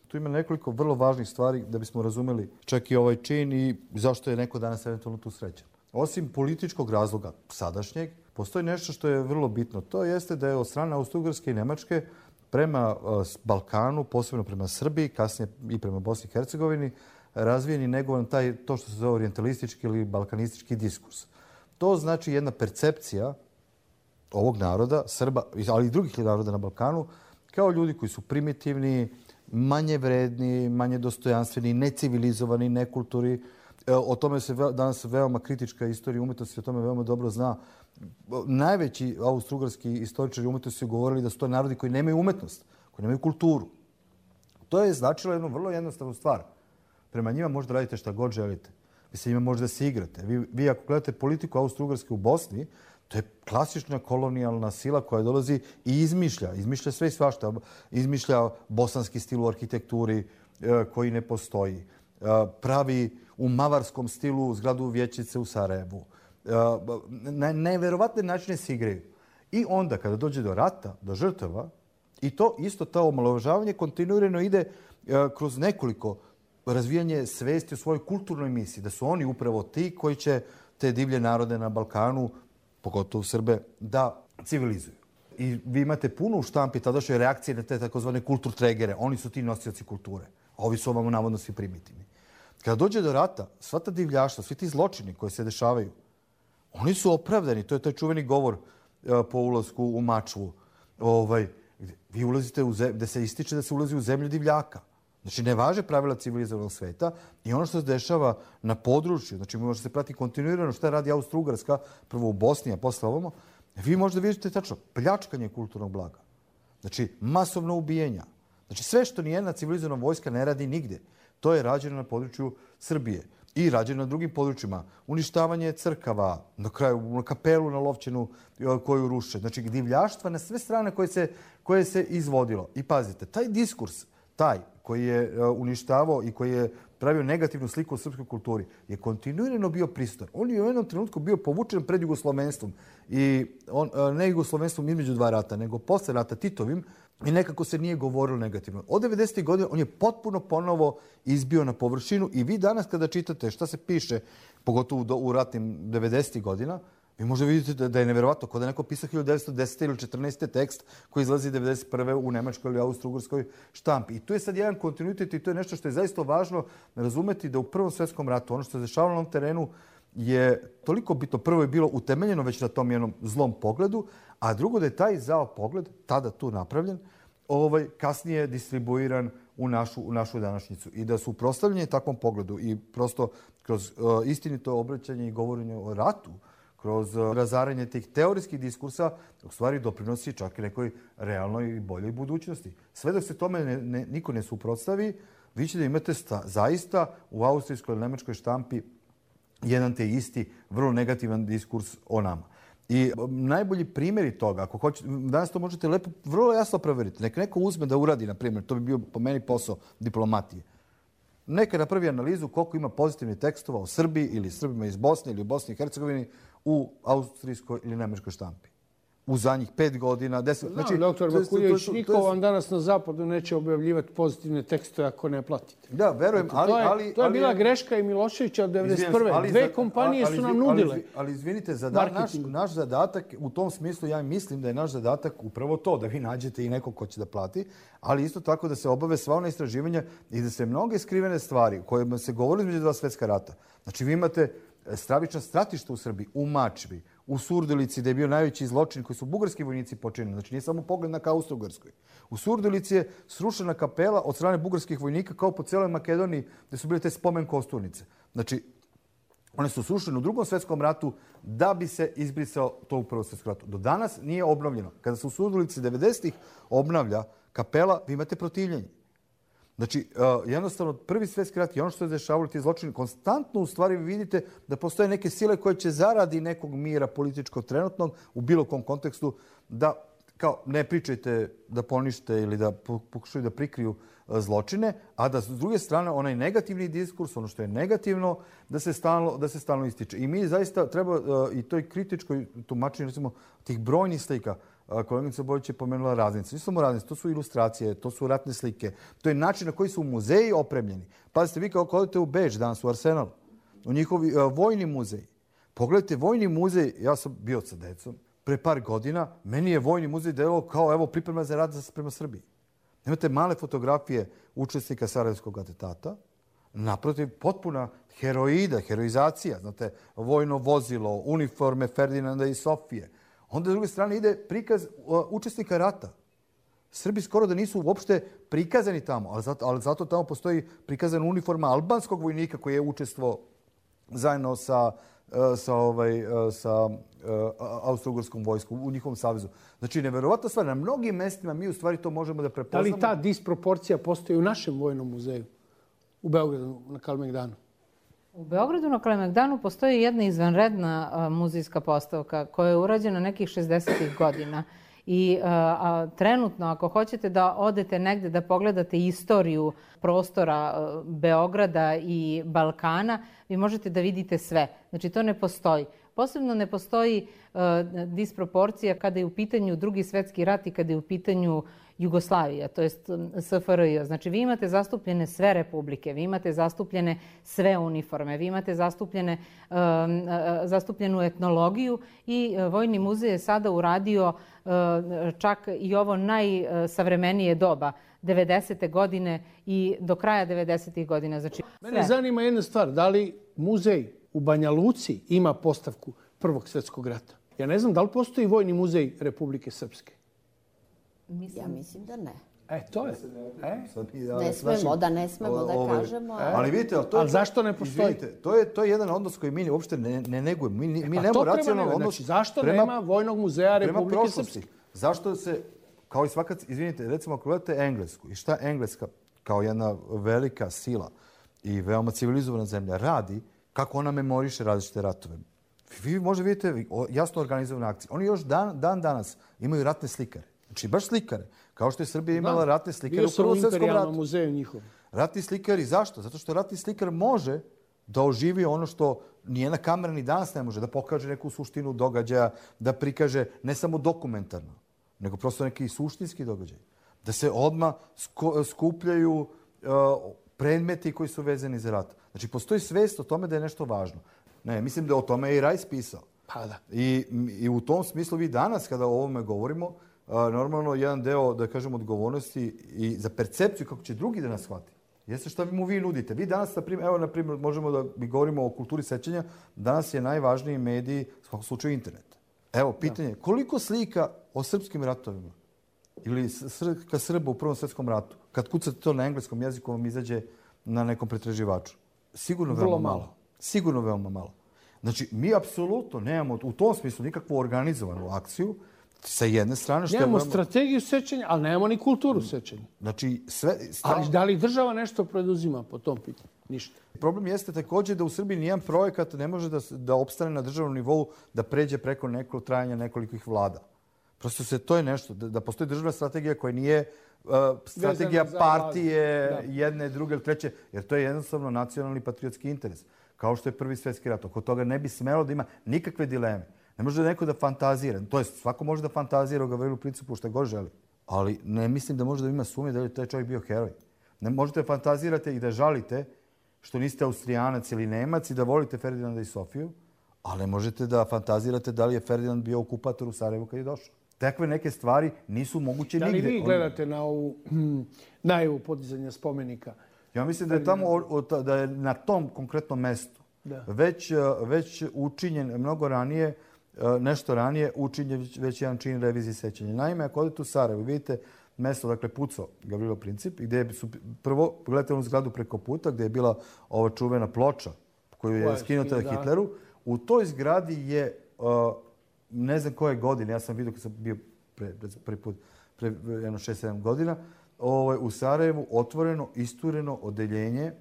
Tu ima nekoliko vrlo važnih stvari da bismo razumeli čak i ovaj čin i zašto je neko danas eventualno tu srećan. Osim političkog razloga sadašnjeg, postoji nešto što je vrlo bitno. To jeste da je od strane Austro-Ugarske i Nemačke prema Balkanu, posebno prema Srbiji, kasnije i prema Bosni i Hercegovini, razvijen i negovan taj, to što se zove orijentalistički ili balkanistički diskurs. To znači jedna percepcija ovog naroda, Srba, ali i drugih naroda na Balkanu, kao ljudi koji su primitivni, manje vredni, manje dostojanstveni, necivilizovani, nekulturi. O tome se danas veoma kritička istorija umetnosti, o tome veoma dobro zna. Najveći austro-ugarski istoričari umetnosti su govorili da su to narodi koji nemaju umetnost, koji nemaju kulturu. To je značilo jednu vrlo jednostavnu stvar. Prema njima možda radite šta god želite. Vi se njima možda se igrate. Vi, vi ako gledate politiku Austro-Ugarske u Bosni, to je klasična kolonijalna sila koja dolazi i izmišlja. Izmišlja sve i svašta. Izmišlja bosanski stil u arhitekturi koji ne postoji. Pravi u mavarskom stilu zgradu Vijećnice u Sarajevu. Na neverovatne načine se igraju. I onda kada dođe do rata, do žrtava, i to isto to omalovažavanje kontinuirano ide kroz nekoliko razvijanje svesti u svojoj kulturnoj misiji, da su oni upravo ti koji će te divlje narode na Balkanu, pogotovo Srbe, da civilizuju. I vi imate puno u štampi tadašnje reakcije na te takozvane kulturtregere. Oni su ti nosioci kulture. A ovi su ovamo navodno svi primitivni. Kada dođe do rata, sva ta divljaštva, svi ti zločini koji se dešavaju, oni su opravdani. To je taj čuveni govor po ulasku u Mačvu. Ovaj, vi ulazite u zemlju, gde se ističe da se ulazi u zemlju divljaka. Znači, ne važe pravila civilizovanog sveta i ono što se dešava na području, znači možete se prati kontinuirano šta radi Austro-Ugarska, prvo u Bosni, a posle ovamo, vi možda vidite tačno pljačkanje kulturnog blaga. Znači, masovno ubijanja. Znači, sve što nijedna civilizovana vojska ne radi nigde, to je rađeno na području Srbije i rađeno na drugim područjima. Uništavanje crkava, na kraju na kapelu na Lovćenu koju ruše. Znači, divljaštva na sve strane koje se, koje se izvodilo. I pazite, taj diskurs, taj koji je uništavao i koji je pravio negativnu sliku o srpskoj kulturi, je kontinuirano bio prisutan. On je u jednom trenutku bio povučen pred jugoslovenstvom. I on, ne jugoslovenstvom između dva rata, nego posle rata Titovim, i nekako se nije govorilo negativno. Od devedesetih godina on je potpuno ponovo izbio na površinu i vi danas kada čitate šta se piše, pogotovo u ratnim devedesetih godina, vi možda vidite da je neverovatno, kod da neko pisao hiljadu devetsto desete ili četrnaeste tekst koji izlazi devedeset prve u nemačkoj ili austro-ugarskoj štampi. I tu je sad jedan kontinuitet i to je nešto što je zaista važno razumeti da u Prvom svjetskom ratu ono što se dešavalo na ovom terenu je toliko bitno. Prvo je bilo utemeljeno već na tom jednom zlom pogledu, a drugo da je taj zao pogled, tada tu napravljen, ovaj, kasnije distribuiran u našu, u našu današnjicu. I da su proslavljeni takvom pogledu i prosto kroz uh, istinito obraćanje i govorenje o ratu, kroz razaranje tih teorijskih diskursa, u stvari doprinosi čak i nekoj realnoj i boljoj budućnosti. Sve dok se tome ne, ne, niko ne suprotstavi, vi ćete da imate sta, zaista u austrijskoj ili nemačkoj štampi jedan te isti, vrlo negativan diskurs o nama. I najbolji primjeri toga, ako hoćete, danas to možete lepo, vrlo jasno proveriti. Neka neko uzme da uradi, na primjer, to bi bio po meni posao diplomatije. Neka napravi analizu koliko ima pozitivnih tekstova o Srbiji ili Srbima iz Bosne ili u Bosni i Hercegovini u austrijskoj ili nemačkoj štampi. U zadnjih pet godina, deset... Znam, znači, doktor Vakuljević, niko vam danas na zapadu neće objavljivati pozitivne tekstove ako ne platite. Da, verujem, ali... To je, ali, to je ali, bila greška i Miloševića od devedeset prve. Ali, Dve za, kompanije ali, su nam ali, nudile. Ali, ali izvinite, zada, naš, naš zadatak, u tom smislu ja mislim da je naš zadatak upravo to, da vi nađete i nekog ko će da plati, ali isto tako da se obave sva ona istraživanja i da se mnoge skrivene stvari o kojima se govorili između dva svjetska rata. Znači, vi imate stravična stratišta u Srbiji, u Mačvi, u Surdulici, gde je bio najveći zločin koji su bugarski vojnici počinili. Znači, nije samo pogled na Austro-Ugarskoj. U Surdulici je srušena kapela od strane bugarskih vojnika kao po cijeloj Makedoniji, gde su bile te spomen kosturnice. Znači, one su srušene u Drugom svjetskom ratu da bi se izbrisao to u Prvom svjetskom ratu. Do danas nije obnovljeno. Kada se u Surdulici devedesetih obnavlja kapela, vi imate protivljenje. Znači, jednostavno, Prvi svjetski rat i ono što se dešavalo ti zločini, konstantno u stvari vi vidite da postoje neke sile koje će zaradi nekog mira političkog trenutnog u bilo kom kontekstu da kao ne pričajte da ponište ili da pokušaju da prikriju zločine, a da s druge strane onaj negativni diskurs, ono što je negativno, da se stalno, da se stalno ističe. I mi zaista treba i toj kritičkoj tumačenju recimo tih brojnih slika. Koleginica Bojić je pomenula raznice. Nisu samo raznice, to su ilustracije, to su ratne slike. To je način na koji su muzeji opremljeni. Pazite, vi kao odete u Beč danas, u Arsenal, u njihovi uh, vojni muzej. Pogledajte, vojni muzej, ja sam bio sa decom, pre par godina, meni je vojni muzej delovao kao evo priprema za rat prema Srbiji. Imate male fotografije učesnika Sarajevskog atentata, naprotiv potpuna heroida, heroizacija, znate, vojno vozilo, uniforme Ferdinanda i Sofije. Onda s druge strane ide prikaz uh, učesnika rata. Srbi skoro da nisu uopšte prikazani tamo, ali zato, ali zato tamo postoji prikazana uniforma albanskog vojnika koji je učestvovao zajedno sa, uh, sa, ovaj, uh, sa uh, Austro-Ugarskom vojskom u njihovom savezu. Znači, neverovatna stvar. Na mnogim mestima mi u stvari to možemo da prepoznamo. Da li ta disproporcija postoji u našem vojnom muzeju u Beogradu na Kalemegdanu? U Beogradu na Kalemegdanu postoji jedna izvanredna muzejska postavka koja je urađena nekih šezdesetih godina. I a, a, trenutno, ako hoćete da odete negde da pogledate istoriju prostora a, Beograda i Balkana, vi možete da vidite sve. Znači, to ne postoji. Posebno ne postoji a, disproporcija kada je u pitanju Drugi svjetski rat i kada je u pitanju Jugoslavija, to jest S F R J. Znači, vi imate zastupljene sve republike, vi imate zastupljene sve uniforme, vi imate zastupljene, uh, zastupljenu etnologiju i uh, Vojni muzej je sada uradio uh, čak i ovo najsavremenije doba, devedesete godine i do kraja devedesetih godina. Znači, mene zanima jedna stvar, da li muzej u Banja Luci ima postavku Prvog svjetskog rata? Ja ne znam da li postoji Vojni muzej Republike Srpske. Mislim... Ja mislim da ne. E, to je. E? Ne smemo da ne smemo da ove, kažemo. E? Ali vidite, ali to je, ali zašto ne postoji? Izvinite, to je, to je jedan odnos koji mi uopšte ne, ne negujemo. Mi, mi e, pa nemamo racionalno odnos. Znači, zašto prema, nema Vojnog muzeja Republike Srpske? Zašto se, kao i svaka, izvinite, recimo ako gledate Englesku i šta Engleska kao jedna velika sila i veoma civilizovana zemlja radi, kako ona memoriše različite ratove. Vi možda vidite jasno organizovane akcije. Oni još dan, dan danas imaju ratne slikare. Znači, baš slikare. Kao što je Srbija imala da, ratne slikare u Prvom svjetskom ratu. Muzeju njihov. Ratni slikari, zašto? Zato što ratni slikar može da oživi ono što nijedna kamera ni danas ne može, da pokaže neku suštinu događaja, da prikaže ne samo dokumentarno, nego prosto neki suštinski događaj. Da se odmah skupljaju uh, predmeti koji su vezani za rat. Znači, postoji svest o tome da je nešto važno. Ne, mislim da o tome je i Rajs pisao. Pa da. I, I u tom smislu vi danas, kada o ovome govorimo, a, normalno jedan deo, da kažem, odgovornosti i za percepciju kako će drugi da nas shvati. Jeste šta mu vi nudite. Vi danas, na primjer, evo, na primjer, možemo da mi govorimo o kulturi sećanja, danas je najvažniji medij, u svakom slučaju, internet. Evo, pitanje, koliko slika o srpskim ratovima ili slika Srba u Prvom svjetskom ratu, kad kucate to na engleskom jeziku, vam izađe na nekom pretraživaču? Sigurno veoma malo. malo. Sigurno veoma malo. Znači, mi apsolutno nemamo u tom smislu nikakvu organizovanu akciju sa jedne strane. Što nemamo je veoma... strategiju sećanja, ali nemamo ni kulturu sećanja. Znači, sve... Stav... Ali da li država nešto preduzima po tom pitanju? Ništa. Problem jeste također da u Srbiji nijedan projekat ne može da, da opstane na državnom nivou da pređe preko nekog trajanja nekolikih vlada. Prosto se to je nešto, da, da postoji državna strategija koja nije uh, strategija partije jedne, druge ili treće, jer to je jednostavno nacionalni patriotski interes. Kao što je Prvi svjetski rat. Oko toga ne bi smelo da ima nikakve dileme. Ne može neko da fantazira. To jest, svako može da fantazira o Gavrilu Principu što god želi. Ali ne mislim da može da ima sumnje da je taj čovjek bio heroj. Ne možete da fantazirate i da žalite što niste Austrijanac ili Nemac i da volite Ferdinanda i Sofiju, ali možete da fantazirate da li je Ferdinand bio okupator u Sarajevu kad je došao. Takve neke stvari nisu moguće nigde. Da li vi gledate na ovu najavu podizanja spomenika? Ja mislim da je tamo da je na tom konkretnom mestu već, već učinjen mnogo ranije nešto ranije učinjen već jedan čin revizije sećanja. Naime, ako odete u Sarajevo, vidite mesto, dakle, Puco Gavrilo Princip, gdje su prvo, gledajte onu zgradu preko puta, gdje je bila ova čuvena ploča koju je skinuta Hitleru. U toj zgradi je, ne znam koje godine, ja sam vidio kad sam bio prvi put, pre jedno šest sedam godina, u Sarajevu otvoreno, istureno odeljenje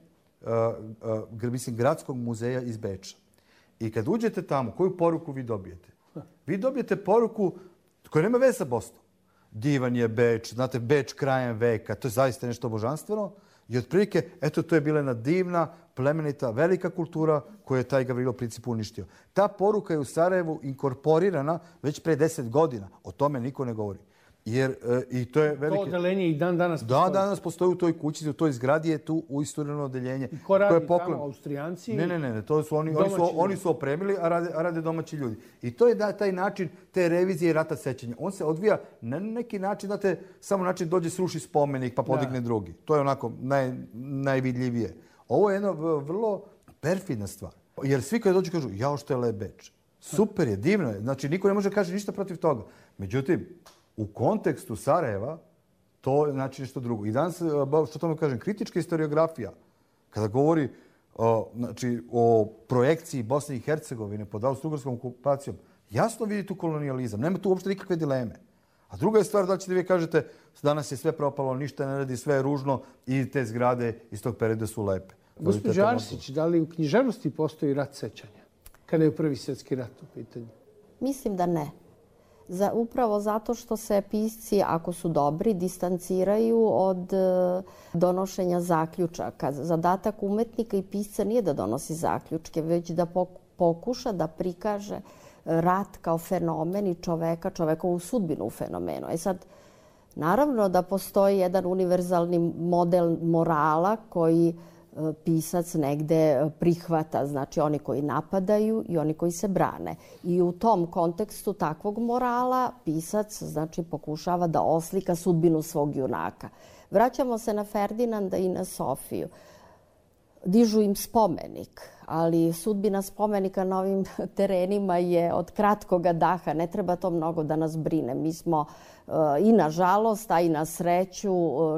mislim, Gradskog muzeja iz Beča. I kad uđete tamo, koju poruku vi dobijete? Vi dobijete poruku koja nema veze sa Bosnom. Divan je Beč, znate, Beč krajem veka, to je zaista nešto božanstveno. I otprilike, eto, to je bila jedna divna, plemenita, velika kultura koju je taj Gavrilo Princip uništio. Ta poruka je u Sarajevu inkorporirana već pre deset godina. O tome niko ne govori. Jer, i to je velike... To odeljenje i dan danas postoji? Dan danas postoji u toj kući, u toj zgradi je tu uistureno odeljenje. I ko radi tamo, Austrijanci? Ne, ne, ne, to su oni, oni, su, oni su opremili, a rade, a rade domaći ljudi. I to je da, taj način te revizije rata sećanja. On se odvija na neki način, znate, samo način dođe sruši spomenik pa podigne da. drugi. To je onako naj, najvidljivije. Ovo je jedna vrlo perfidna stvar. Jer svi kad dođu kažu, jao što je lep Beč. Super je, divno je. Znači, niko ne može kaže ništa protiv toga. Međutim, u kontekstu Sarajeva, to je znači nešto drugo. I danas, što tome kažem, kritička historiografija, kada govori o, znači, o projekciji Bosne i Hercegovine pod austro-ugarskom okupacijom, jasno vidi tu kolonijalizam. Nema tu uopšte nikakve dileme. A druga je stvar da ćete vi kažete danas je sve propalo, ništa ne radi, sve je ružno i te zgrade iz tog perioda su lepe. Gospođo Arsić, da li u književnosti postoji rat sećanja? Kada je prvi svjetski rat u pitanju? Mislim da ne. Za, upravo zato što se pisci, ako su dobri, distanciraju od e, donošenja zaključaka. Zadatak umetnika i pisca nije da donosi zaključke, već da pokuša da prikaže rat kao fenomen i čoveka, čovekovu sudbinu u fenomenu. E sad, naravno da postoji jedan univerzalni model morala koji pisac negde prihvata, znači oni koji napadaju i oni koji se brane. I u tom kontekstu takvog morala pisac znači pokušava da oslika sudbinu svog junaka. Vraćamo se na Ferdinanda i na Sofiju. Dižu im spomenik, ali sudbina spomenika na ovim terenima je od kratkoga daha. Ne treba to mnogo da nas brine. Mi smo i na žalost, a i na sreću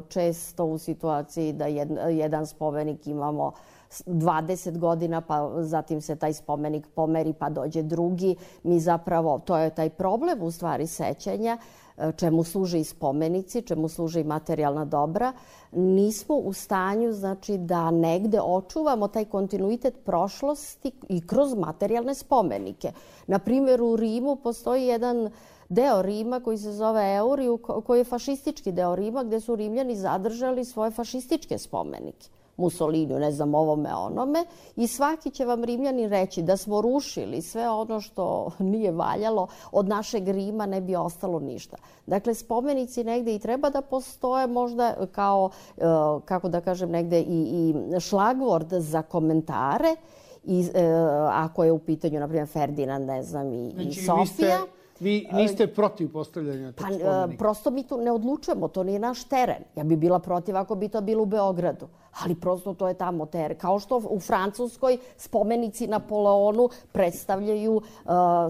često u situaciji da jedan spomenik imamo dvadeset godina, pa zatim se taj spomenik pomeri pa dođe drugi. Mi zapravo, to je taj problem u stvari sećanja, čemu služe i spomenici, čemu služe i materijalna dobra, nismo u stanju znači, da negde očuvamo taj kontinuitet prošlosti i kroz materijalne spomenike. Na primjer, u Rimu postoji jedan deo Rima koji se zove Euriju, koji je fašistički deo Rima, gdje su Rimljani zadržali svoje fašističke spomenike. Mussoliniju, ne znam, ovome, onome. I svaki će vam Rimljani reći da smo rušili sve ono što nije valjalo, od našeg Rima ne bi ostalo ništa. Dakle, spomenici negde i treba da postoje možda kao, kako da kažem, negde i, i šlagvord za komentare. I, ako je u pitanju, na primjer, Ferdinand, ne znam, i, znači, i Sofija. Vi niste protiv postavljanja tog spomenika? Pa, prosto mi tu ne odlučujemo, to nije naš teren. Ja bi bila protiv ako bi to bilo u Beogradu. Ali prosto to je tamo teren. Kao što u Francuskoj spomenici Napoleonu predstavljaju uh,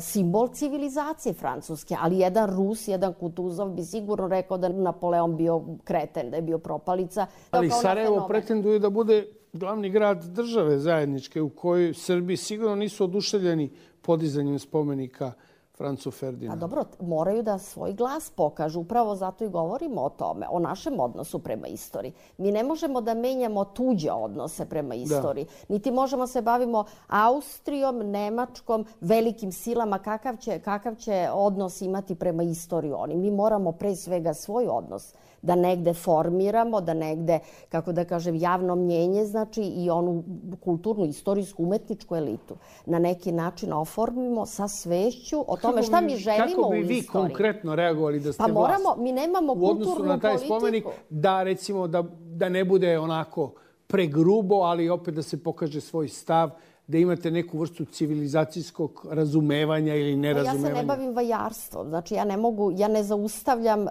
simbol civilizacije Francuske. Ali jedan Rus, jedan Kutuzov bi sigurno rekao da Napoleon bio kreten, da je bio propalica. Ali Sarajevo pretenduje da bude glavni grad države zajedničke u kojoj Srbi sigurno nisu oduševljeni podizanjem spomenika Francu Ferdinandu. Pa dobro, moraju da svoj glas pokažu. Upravo zato i govorimo o tome, o našem odnosu prema istoriji. Mi ne možemo da menjamo tuđe odnose prema istoriji. Da. Niti možemo se bavimo Austrijom, Nemačkom, velikim silama, kakav će, kakav će odnos imati prema istoriji oni. Mi moramo pre svega svoj odnos da negde formiramo, da negde, kako da kažem, javno mnjenje, znači i onu kulturnu, istorijsku, umetničku elitu na neki način oformimo sa svešću o tome šta mi želimo u istoriji. Kako bi vi konkretno reagovali da ste pa moramo, mi nemamo u odnosu na taj spomenik, da recimo da, da ne bude onako pregrubo, ali opet da se pokaže svoj stav, da imate neku vrstu civilizacijskog razumevanja ili nerazumevanja? Ja se ne bavim vajarstvom. Znači, ja ne mogu, ja ne zaustavljam,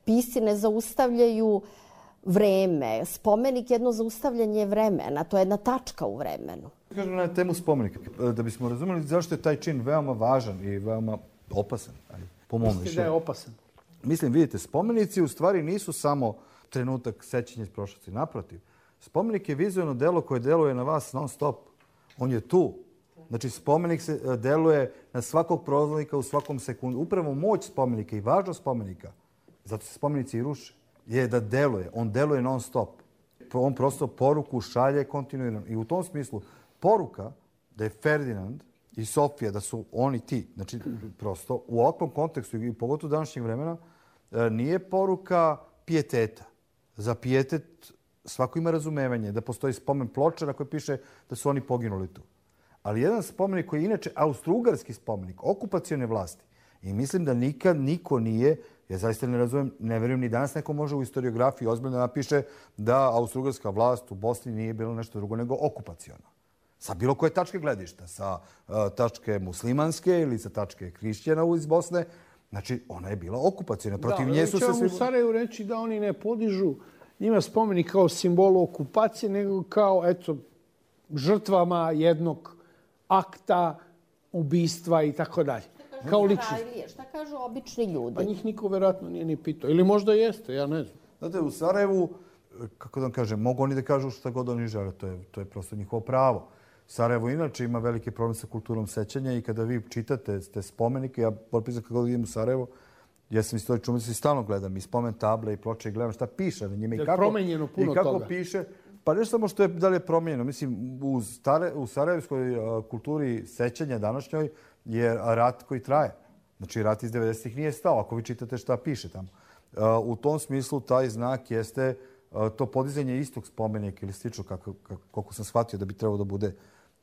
pisci ne zaustavljaju vreme. Spomenik je jedno zaustavljanje vremena. To je jedna tačka u vremenu. Kažem na temu spomenika, da bismo razumeli zašto je taj čin veoma važan i veoma opasan, po mom mišljenju. Mislite da je opasan? Mislim, vidite, spomenici u stvari nisu samo trenutak sećanja iz prošlosti. Naprotiv, spomenik je vizualno delo koje deluje na vas non stop. On je tu. Znači, spomenik se deluje na svakog prolaznika u svakom sekundu. Upravo moć spomenika i važnost spomenika, zato se spomenici i ruše, je da deluje. On deluje non stop. On prosto poruku šalje kontinuirano. I u tom smislu, poruka da je Ferdinand i Sofija, da su oni ti, znači prosto u ovakvom kontekstu i pogotovo današnjeg vremena, nije poruka pijeteta. Za pijetet svako ima razumevanje da postoji spomen ploča na kojoj piše da su oni poginuli tu. Ali jedan spomenik koji je inače austrougarski spomenik, okupacione vlasti, i mislim da nikad niko nije, ja zaista ne razumem, ne verujem ni danas neko može u historiografiji ozbiljno da napiše da austrougarska vlast u Bosni nije bilo nešto drugo nego okupaciona. Sa bilo koje tačke gledišta, sa uh, tačke muslimanske ili sa tačke hrišćana iz Bosne, znači ona je bila okupacijona. Protiv da, nje su se svi... svi... u Sarajevu reći da oni ne podižu njima spomenik kao simbolu okupacije, nego kao, eto, žrtvama jednog akta, ubistva i tako dalje. Kao ličnost. Šta kažu obični ljudi? Pa njih niko verovatno nije ni pitao. Ili možda jeste, ja ne znam. Znate, u Sarajevu, kako da vam kažem, mogu oni da kažu šta god oni žele, to je, to je prosto njihovo pravo. Sarajevo inače ima veliki problem sa kulturom sećanja i kada vi čitate te spomenike, ja potpisam kako idem u Sarajevo, ja sam istoričar umetnosti i stalno gledam i spomen table i ploče i gledam šta piše na njima i kako, promenjeno puno i kako toga. Piše. Pa ne samo što je da li je promijenjeno. Mislim, u, stare, u sarajevskoj uh, kulturi sećanja današnjoj je rat koji traje. Znači, rat iz devedesetih nije stao, ako vi čitate šta piše tamo. Uh, u tom smislu taj znak jeste uh, to podizanje istog spomenika ili slično, kako, kako, koliko sam shvatio da bi trebalo da bude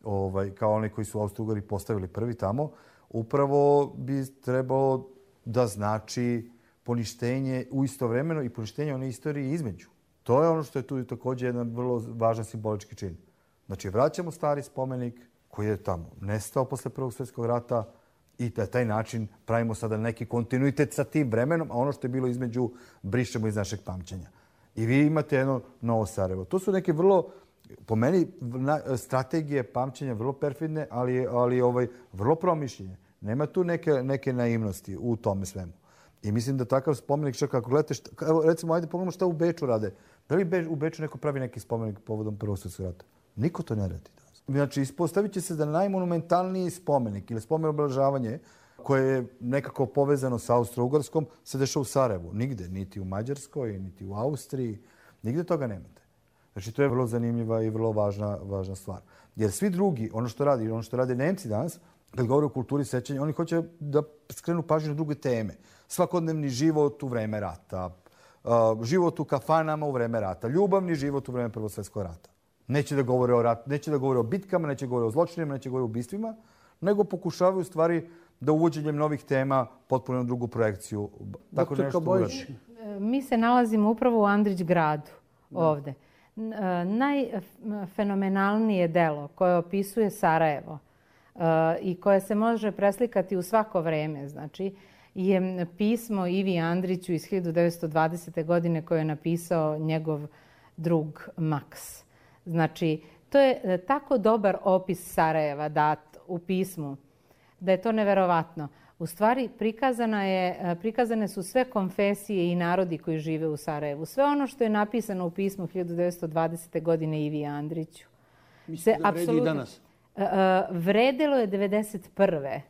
ovaj, kao oni koji su Austro-Ugari postavili prvi tamo, upravo bi trebalo da znači poništenje u istovremeno i poništenje one istorije između. To je ono što je tu također jedan vrlo važan simbolički čin. Znači, vraćamo stari spomenik koji je tamo nestao posle Prvog svjetskog rata i na taj način pravimo sada neki kontinuitet sa tim vremenom, a ono što je bilo između brišemo iz našeg pamćenja. I vi imate jedno novo Sarajevo. To su neke vrlo, po meni, strategije pamćenja vrlo perfidne, ali, ali ovaj, vrlo promišljenje. Nema tu neke, neke naivnosti u tome svemu. I mislim da takav spomenik, čak ako gledate, šta, recimo, ajde pogledamo šta u Beču rade. Da li u Beču neko pravi neki spomenik povodom Prvog svjetskog rata? Niko to ne radi. Znači, ispostavit će se da najmonumentalniji spomenik ili spomen obeležavanje koje je nekako povezano sa Austro-Ugarskom se dešava u Sarajevu. Nigde, niti u Mađarskoj, niti u Austriji. Nigde toga nemate. Znači, to je vrlo zanimljiva i vrlo važna, važna stvar. Jer svi drugi, ono što radi, ono što rade Nemci danas, kad govore o kulturi sećanja, oni hoće da skrenu pažnju na druge teme. Svakodnevni život u vreme rata, život u kafanama u vreme rata, ljubavni život u vreme Prvog svjetskog rata. Neće da govore o rat, neće da govore o bitkama, neće da govore o zločinima, neće da govore o ubistvima, nego pokušavaju stvari da uvođenjem novih tema potpuno drugu projekciju. Tako nešto uradi. Mi se nalazimo upravo u Andrić gradu ovde. Najfenomenalnije delo koje opisuje Sarajevo i koje se može preslikati u svako vreme, znači, je pismo Ivi Andriću iz hiljadu devetsto dvadesete. godine koje je napisao njegov drug Maks. Znači, to je tako dobar opis Sarajeva dat u pismu da je to neverovatno. U stvari, prikazana je, prikazane su sve konfesije i narodi koji žive u Sarajevu. Sve ono što je napisano u pismu hiljadu devetsto dvadesete. godine Ivi Andriću. Mislim da vredi i danas. Vredelo je devedeset prve.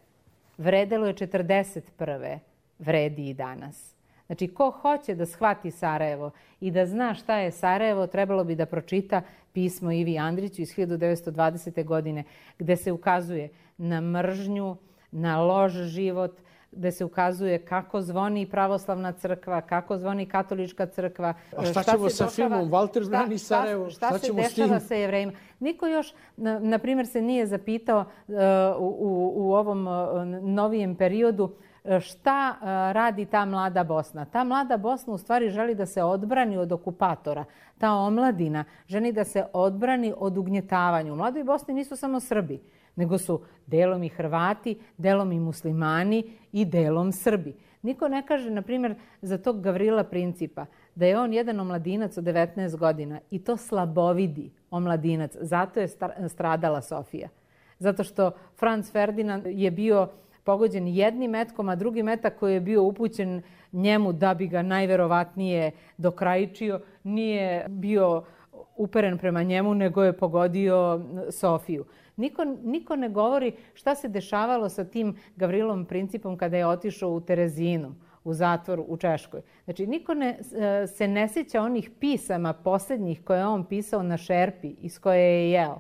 Vredelo je četrdeset prve. Vredi i danas. Znači, ko hoće da shvati Sarajevo i da zna šta je Sarajevo, trebalo bi da pročita pismo Ivi Andriću iz hiljadu devetsto dvadesete. godine, gde se ukazuje na mržnju, na loš život, gde se ukazuje kako zvoni pravoslavna crkva, kako zvoni katolička crkva. A šta, šta ćemo sa dešava, filmom Walter brani Sarajevo? Šta, šta, šta se dešava sa Jevrejima? Niko još, na, na primjer, se nije zapitao uh, u, u ovom uh, novijem periodu šta uh, radi ta mlada Bosna. Ta mlada Bosna u stvari želi da se odbrani od okupatora. Ta omladina želi da se odbrani od ugnjetavanja. U mladoj Bosni nisu samo Srbi, nego su delom i Hrvati, delom i muslimani i delom Srbi. Niko ne kaže, na primjer, za tog Gavrila Principa, da je on jedan omladinac od devetnaest godina i to slabovidi omladinac. Zato je stradala Sofija. Zato što Franz Ferdinand je bio pogođen jednim metkom, a drugi metak koji je bio upućen njemu da bi ga najverovatnije dokrajičio, nije bio uperen prema njemu, nego je pogodio Sofiju. Niko, niko ne govori šta se dešavalo sa tim Gavrilom Principom kada je otišao u Terezinu, u zatvor u Češkoj. Znači, niko ne, se ne sjeća onih pisama posljednjih koje je on pisao na šerpi iz koje je jeo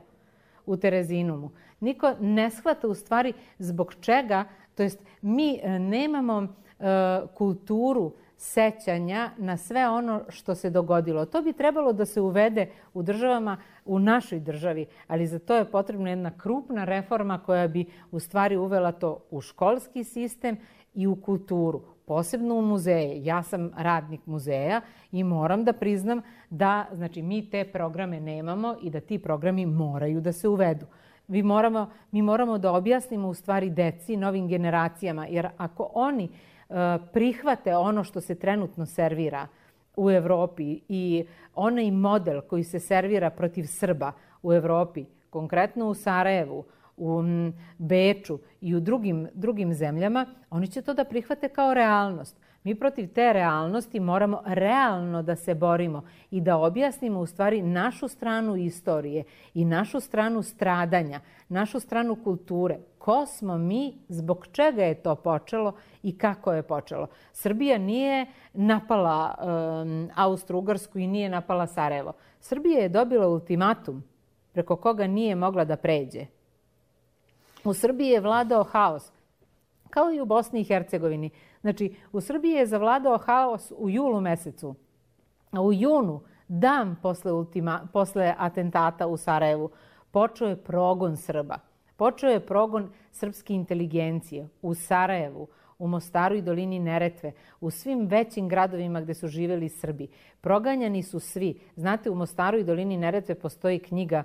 u Terezinumu. Niko ne shvata u stvari zbog čega, to jest mi nemamo uh, kulturu sećanja na sve ono što se dogodilo. To bi trebalo da se uvede u državama, u našoj državi, ali za to je potrebna jedna krupna reforma koja bi u stvari uvela to u školski sistem i u kulturu, posebno u muzeje. Ja sam radnik muzeja i moram da priznam da znači, mi te programe nemamo i da ti programi moraju da se uvedu. Mi moramo, mi moramo da objasnimo u stvari deci, novim generacijama, jer ako oni prihvate ono što se trenutno servira u Evropi i onaj model koji se servira protiv Srba u Evropi, konkretno u Sarajevu, u Beču i u drugim, drugim zemljama, oni će to da prihvate kao realnost. Mi protiv te realnosti moramo realno da se borimo i da objasnimo u stvari našu stranu istorije i našu stranu stradanja, našu stranu kulture. Ko smo mi, zbog čega je to počelo i kako je počelo. Srbija nije napala um, Austro-Ugarsku i nije napala Sarajevo. Srbija je dobila ultimatum preko koga nije mogla da pređe. U Srbiji je vladao haos, kao i u Bosni i Hercegovini. Znači, u Srbiji je zavladao haos u julu mesecu. A u junu, dan posle, ultima, posle atentata u Sarajevu, počeo je progon Srba. Počeo je progon srpske inteligencije u Sarajevu, u Mostaru i dolini Neretve, u svim većim gradovima gde su živjeli Srbi. Proganjani su svi. Znate, u Mostaru i dolini Neretve postoji knjiga,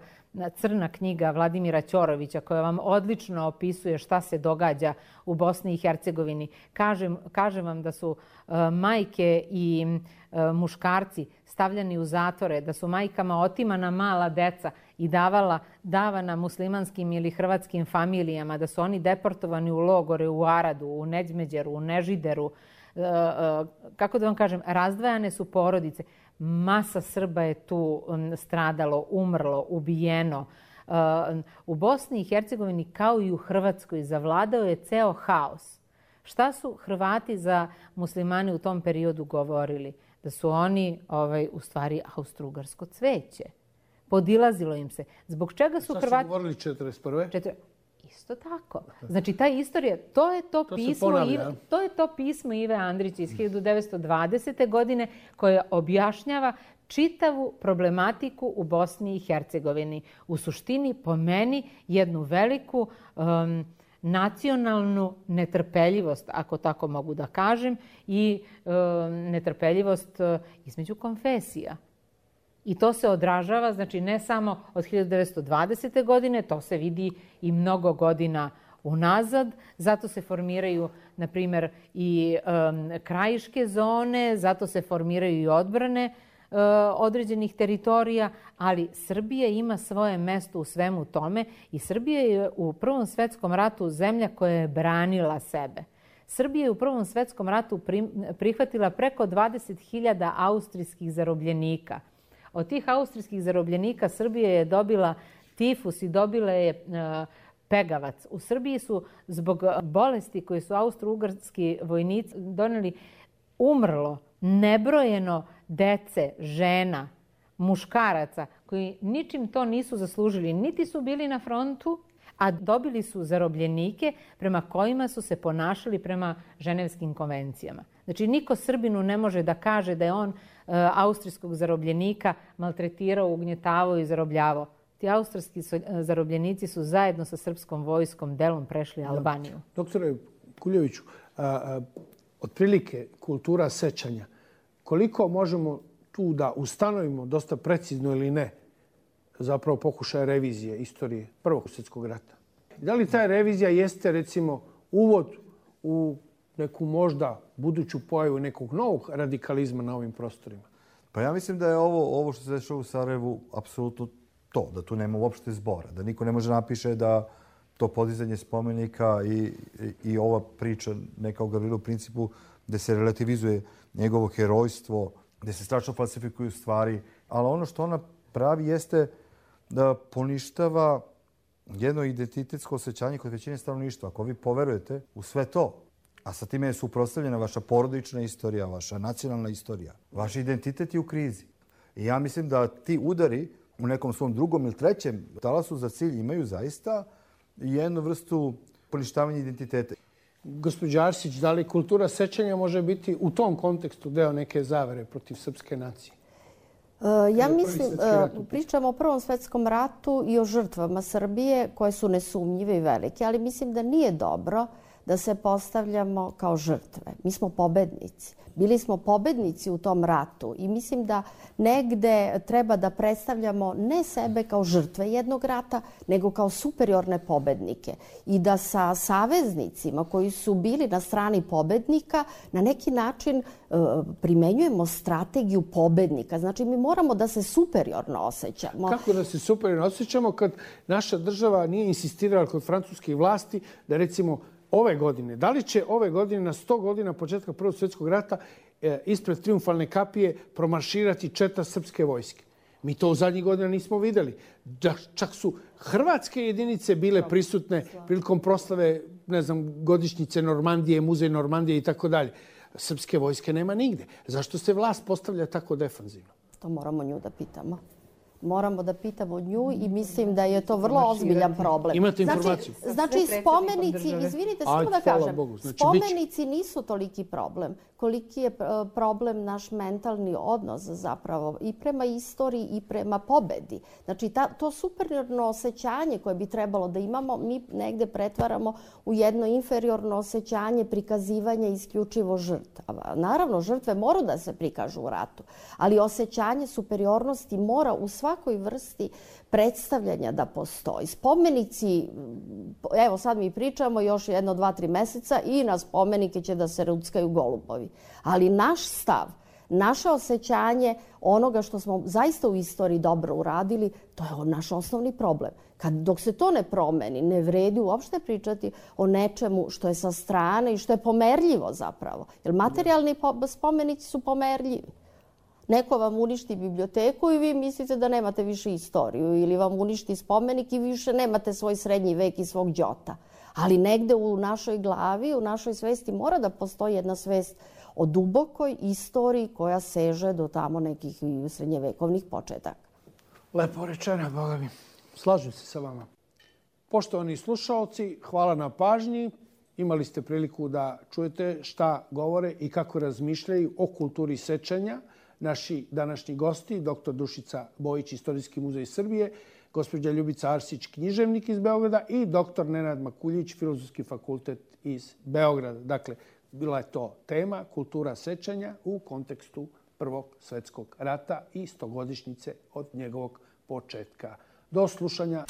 crna knjiga Vladimira Ćorovića koja vam odlično opisuje šta se događa u Bosni i Hercegovini. Kažem, kažem vam da su uh, majke i uh, muškarci stavljani u zatvore, da su majkama otimana mala deca i davala, davana muslimanskim ili hrvatskim familijama, da su oni deportovani u logore, u Aradu, u Neđmeđeru, u Nežideru. Uh, uh, kako da vam kažem, razdvajane su porodice. Masa Srba je tu stradalo, umrlo, ubijeno. U Bosni i Hercegovini kao i u Hrvatskoj zavladao je ceo haos. Šta su Hrvati za muslimane u tom periodu govorili? Da su oni ovaj, u stvari austro-ugarsko cveće. Podilazilo im se. Zbog čega su Hrvati... Šta su govorili četrdeset prve? Četir... Isto tako. Znači, ta istorija, to je to, to pismo Ive, to je to pismo Ive Andrića iz hiljadu devetsto dvadesete. godine koje objašnjava čitavu problematiku u Bosni i Hercegovini. U suštini, po meni, jednu veliku um, nacionalnu netrpeljivost, ako tako mogu da kažem, i um, netrpeljivost uh, između konfesija. I to se odražava, znači ne samo od hiljadu devetsto dvadesete. godine, to se vidi i mnogo godina unazad. Zato se formiraju, na primjer, i um, krajiške zone, zato se formiraju i odbrane uh, određenih teritorija, ali Srbija ima svoje mesto u svemu tome i Srbija je u Prvom svetskom ratu zemlja koja je branila sebe. Srbija je u Prvom svetskom ratu prihvatila preko dvadeset hiljada austrijskih zarobljenika. Od tih austrijskih zarobljenika Srbija je dobila tifus i dobila je uh, pegavac. U Srbiji su zbog bolesti koje su austro-ugarski vojnici doneli umrlo nebrojeno dece, žena, muškaraca koji ničim to nisu zaslužili. Niti su bili na frontu, a dobili su zarobljenike prema kojima su se ponašali prema ženevskim konvencijama. Znači, niko Srbinu ne može da kaže da je on uh, austrijskog zarobljenika maltretirao, ugnjetavao i zarobljavao. Ti austrijski su, uh, zarobljenici su zajedno sa srpskom vojskom delom prešli Albaniju. Doktore Kuljeviću, a, a, otprilike kultura sećanja, koliko možemo tu da ustanovimo, dosta precizno ili ne, zapravo pokušaje revizije istorije Prvog svjetskog rata? Da li ta revizija jeste, recimo, uvod u neku možda buduću pojavu nekog novog radikalizma na ovim prostorima? Pa ja mislim da je ovo, ovo što se dešava u Sarajevu apsolutno to, da tu nema uopšte zbora, da niko ne može napiše da to podizanje spomenika i, i, i ova priča neka o Gavrilu Principu gde se relativizuje njegovo herojstvo, gde se strašno falsifikuju stvari, ali ono što ona pravi jeste da poništava jedno identitetsko osjećanje kod većine stanovništva. Ako vi poverujete u sve to, a sa time je suprotstavljena vaša porodična istorija, vaša nacionalna istorija, vaš identitet je u krizi. I ja mislim da ti udari u nekom svom drugom ili trećem talasu za cilj imaju zaista jednu vrstu poništavanja identiteta. Gospođa Arsić, da li kultura sećanja može biti u tom kontekstu deo neke zavere protiv srpske nacije? Ja mislim, pričamo o Prvom svetskom ratu i o žrtvama Srbije koje su nesumnjive i velike, ali mislim da nije dobro da se postavljamo kao žrtve. Mi smo pobednici. Bili smo pobednici u tom ratu i mislim da negde treba da predstavljamo ne sebe kao žrtve jednog rata, nego kao superiorne pobednike. I da sa saveznicima koji su bili na strani pobednika na neki način primenjujemo strategiju pobednika. Znači, mi moramo da se superiorno osjećamo. Kako da se superiorno osjećamo kad naša država nije insistirala kod francuskih vlasti da recimo ove godine, da li će ove godine na sto godina početka Prvog svjetskog rata e, ispred triumfalne kapije promarširati četa srpske vojske? Mi to u zadnjih godina nismo videli. Da, čak su hrvatske jedinice bile prisutne prilikom proslave, ne znam, godišnjice Normandije, muzej Normandije i tako dalje. Srpske vojske nema nigde. Zašto se vlast postavlja tako defanzivno? To moramo nju da pitamo. Moramo da pitamo nju i mislim da je to vrlo ozbiljan problem. Imate informaciju? Znači, znači spomenici, izvinite, samo da kažem, znači, spomenici nisu toliki problem. Koliki je problem naš mentalni odnos zapravo i prema istoriji i prema pobedi. Znači, ta, to superiorno osjećanje koje bi trebalo da imamo, mi negde pretvaramo u jedno inferiorno osjećanje prikazivanja isključivo žrtava. Naravno, žrtve moraju da se prikažu u ratu, ali osjećanje superiornosti mora u svakoj vrsti predstavljanja da postoji. Spomenici, evo sad mi pričamo još jedno, dva, tri meseca i na spomenike će da se ruckaju golubovi. Ali naš stav, naše osjećanje onoga što smo zaista u istoriji dobro uradili, to je naš osnovni problem. Kad, dok se to ne promeni, ne vredi uopšte pričati o nečemu što je sa strane i što je pomerljivo zapravo. Jer materijalni spomenici su pomerljivi. Neko vam uništi biblioteku i vi mislite da nemate više istoriju ili vam uništi spomenik i više nemate svoj srednji vek i svog đota. Ali negde u našoj glavi, u našoj svesti mora da postoji jedna svest o dubokoj istoriji koja seže do tamo nekih srednjevekovnih početaka. Lepo rečeno, Boga mi. Slažem se sa vama. Poštovani slušaoci, hvala na pažnji. Imali ste priliku da čujete šta govore i kako razmišljaju o kulturi sećanja naši današnji gosti, doktor Dušica Bojić, Istorijski muzej Srbije, gospođa Ljubica Arsić, književnik iz Beograda i doktor Nenad Makuljić, Filozofski fakultet iz Beograda. Dakle, bila je to tema kultura sećanja u kontekstu Prvog svjetskog rata i stogodišnjice od njegovog početka. Do slušanja.